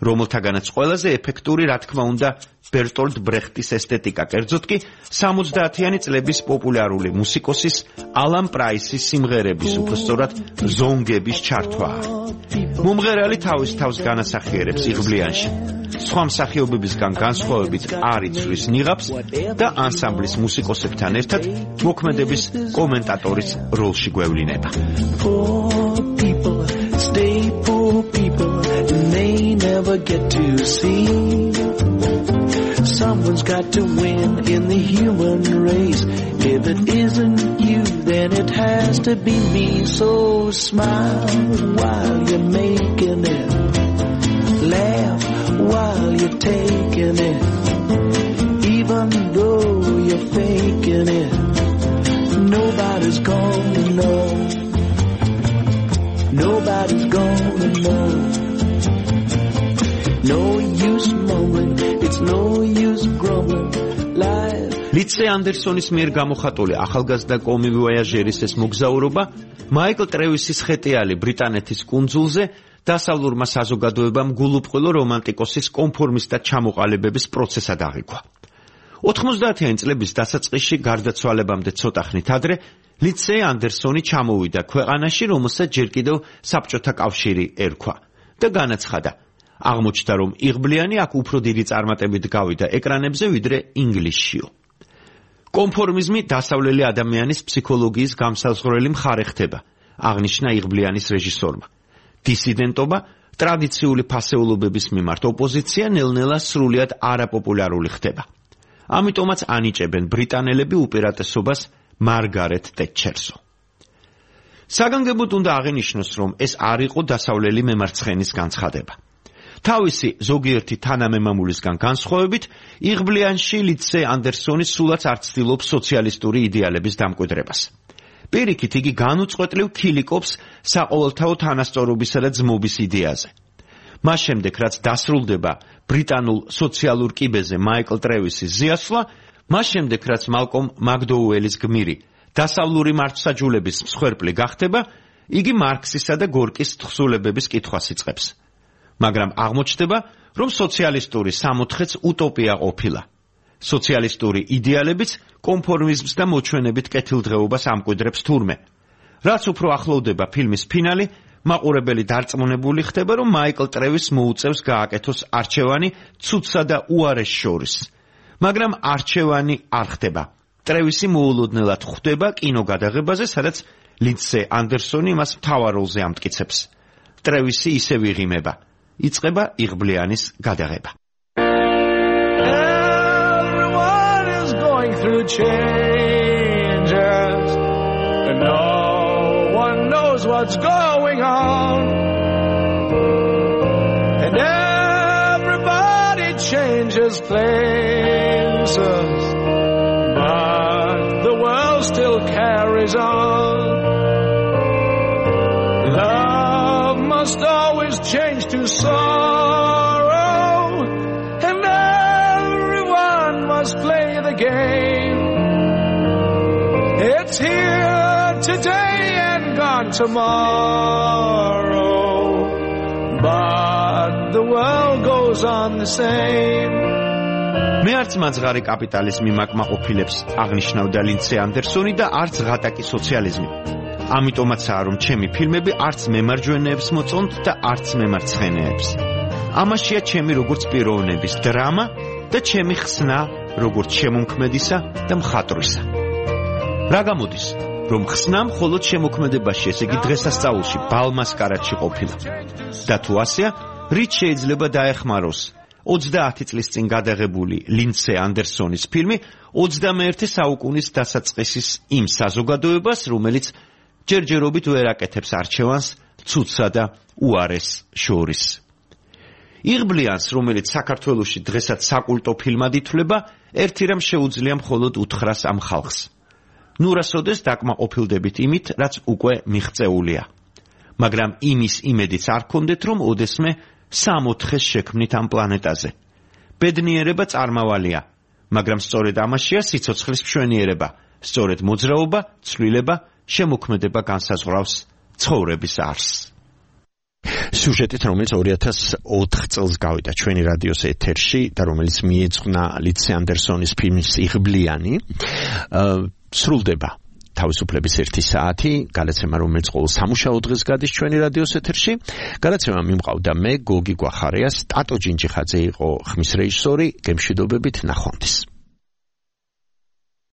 რომელთაგანაც ყველაზე ეფექტური, რა თქმა უნდა, ბერტოლდ ბრეხტის ესთეტიკა, კერძოდ კი 70-იანი წლების პოპულარული მუსიკოსის ალან პრაისის სიმღერების, უბრალოდ ზონგების ჩართვაა. მომღერალი თავის თავს განასახიერებს იღბლიანში, სხვა მსახიობებისგან განსხვავებით არ იცვლის ნიღაბს და ანსამბლის მუსიკოსებთან ერთად მოქმედების კომენტატორის როლში გვევლინება. Never get to see. Someone's got to win in the human race. If it isn't you, then it has to be me. So smile while you're making it. Laugh while you're taking it. Even though you're faking it, nobody's gonna know. Nobody's gonna know. No use mumbling, it's no use grumbling. ლიცე ანდერსონის მიერ გამოხატული ახალგაზრდა კომივოიაჟერის ეს მოგზაურობა მაიკლ ტრევისის ხეტიალი ბრიტანეთის კუნძულზე დასავლურმა საზოგადოებამ გულუბრყვილო რომანტიკოსის კონფორმისტად ჩამოყალიბების პროცესად აღიქვა. 90-იანი წლების დასაწყისში გარდაცვალებამდე ცოტა ხნით ადრე ლიცე ანდერსონი ჩამოვიდა ქვეყანაში, რომელსაც ჯერ კიდევ საბჭოთა კავშირი ერქვა და განაცხადა, აღმოჩნდა, რომ იღბლიანი აქ უფრო დიდი წარმატებით გავიდა ეკრანებზე, ვიდრე ინგლისშიო. კონფორმიზმი დასავლელი ადამიანის ფსიქოლოგიის გამსაზღვრელი მხარე ხდება, აღნიშნა იღბლიანის რეჟისორმა. დისიდენტობა, ტრადიციული ფასეულობების მიმართ ოპოზიცია ნელ-ნელა სრულიად არაპოპულარული ხდება. ამიტომაც ანიჭებენ ბრიტანელები უპირატესობას მარგარეტ ტეტჩერსო. საგანგებოდ უნდა აღინიშნოს, რომ ეს არ იყო დასავლელი მემარცხენის განცხადება. თავისი ზოგიერთი თანამემამულისგან განსხვავებით, იღბლიანში ლიცე ანდერსონი სულაც არ ცდილობს სოციალისტური იდეალების დამკვიდრებას. პირიქით, იგი განუწყვეტლივ ქილიკობს საყოველთაო თანასწორობისა და ძმობის იდეაზე. მას შემდეგ, რაც დასრულდება ბრიტანულ სოციალურ კიბეზე მაიკლ ტრევისის ზიასვლა, მას შემდეგ, რაც მალკომ მაკდოუელის გმირი დასავლური მართლმსაჯულების მსხვერპლი გახდება, იგი მარქსისა და გორკის თხზულებების კითხვას იწყებს. მაგრამ აღმოჩნდება, რომ სოციალისტური სამოთხეც უტოპია ყოფილა. სოციალისტური იდეალებიც კონფორმიზმს და მოჩვენებით კეთილდღეობას ამკვიდრებს თურმე. რაც უფრო ახლოვდება ფილმის ფინალი, მაყურებელი დარწმუნებული ხდება, რომ მაიკლ ტრევის მოუწევს გააკეთოს არჩევანი ცუდსა და უარეს შორის. მაგრამ არჩევანი არ ხდება. ტრევისი მოულოდნელად ხვდება კინოგადაღებაზე, სადაც ლიცე ანდერსონი მას მთავარ როლზე ამტკიცებს. ტრევისი ისევ იღიმება. იწყება იღბლიანის გადაღება. Everyone is going through changes and no one knows what's going on and everybody changes places but the world still carries on. Love must always change to sorrow and everyone must play the game. It's here today and gone tomorrow but the world goes on the same. მე არც მაძღარი კაპიტალიზმი მაკმაყოფილებს აღნიშნავდა ლიცე ანდერსონი და არც ღატაკი სოციალიზმი. ამიტომაცაა, რომ ჩემი ფილმები არც მემარჯვენეებს მოწონთ და არც მემარცხენეებს. ამაშია ჩემი როგორც პიროვნების დრამა და ჩემი ხსნა როგორც შემომქმედისა და მხატვრისა. რა გამოდის, რომ ხსნა მხოლოდ შემოქმედებაში, ესე იგი დღესასწაულში, ბალმასკარადში ყოფილა. და თუ ასეა, რით შეიძლება დაეხმაროს 30 წლის წინ გადაღებული ლინდსე ანდერსონის ფილმი 21 საუკუნის დასაწყისის იმ საზოგადოებას, რომელიც ჯერჯერობით ვერ აკეთებს არჩევანს ცუდსა და უარეს შორის. იღბლიანს, რომელიც საქართველოში დღესაც საკულტო ფილმად ითვლება, ერთი რამ შეუძლია მხოლოდ უთხრას ამ ხალხს. ნურასოდეს დაკმაყოფილდებით იმით, რაც უკვე მიღწეულია. მაგრამ იმის იმედიც არ გქონდეთ, რომ ოდესმე 60-ს შექმნით ამ პლანეტაზე. ბედნიერება წარმავალია, მაგრამ სწორედ ამაშია სიცოცხლის მშვენიერება, სწორედ მოძრაობა, ცვლილება, შემოქმედება განსაზღვრავს ცხოვრების არსს. სიუჟეტით, რომელიც 2004 წელს გავიდა ჩვენი რადიოს ეთერში და რომელიც მიეძღვნა ლინდსე ანდერსონის ფილმის იღბლიანი, სრულდება თავისუფლების 1 საათი, გადაცემა, რომელიც ყოველ სამუშაო დღეს გადის ჩვენი რადიოს ეთერში. გადაცემა მიმყავდა მე, გოგი გვახარიას, ტატო ჯინჯიხაძე იყო ხმის რეჟისორი, გემშვიდობებით, ნახვამდის.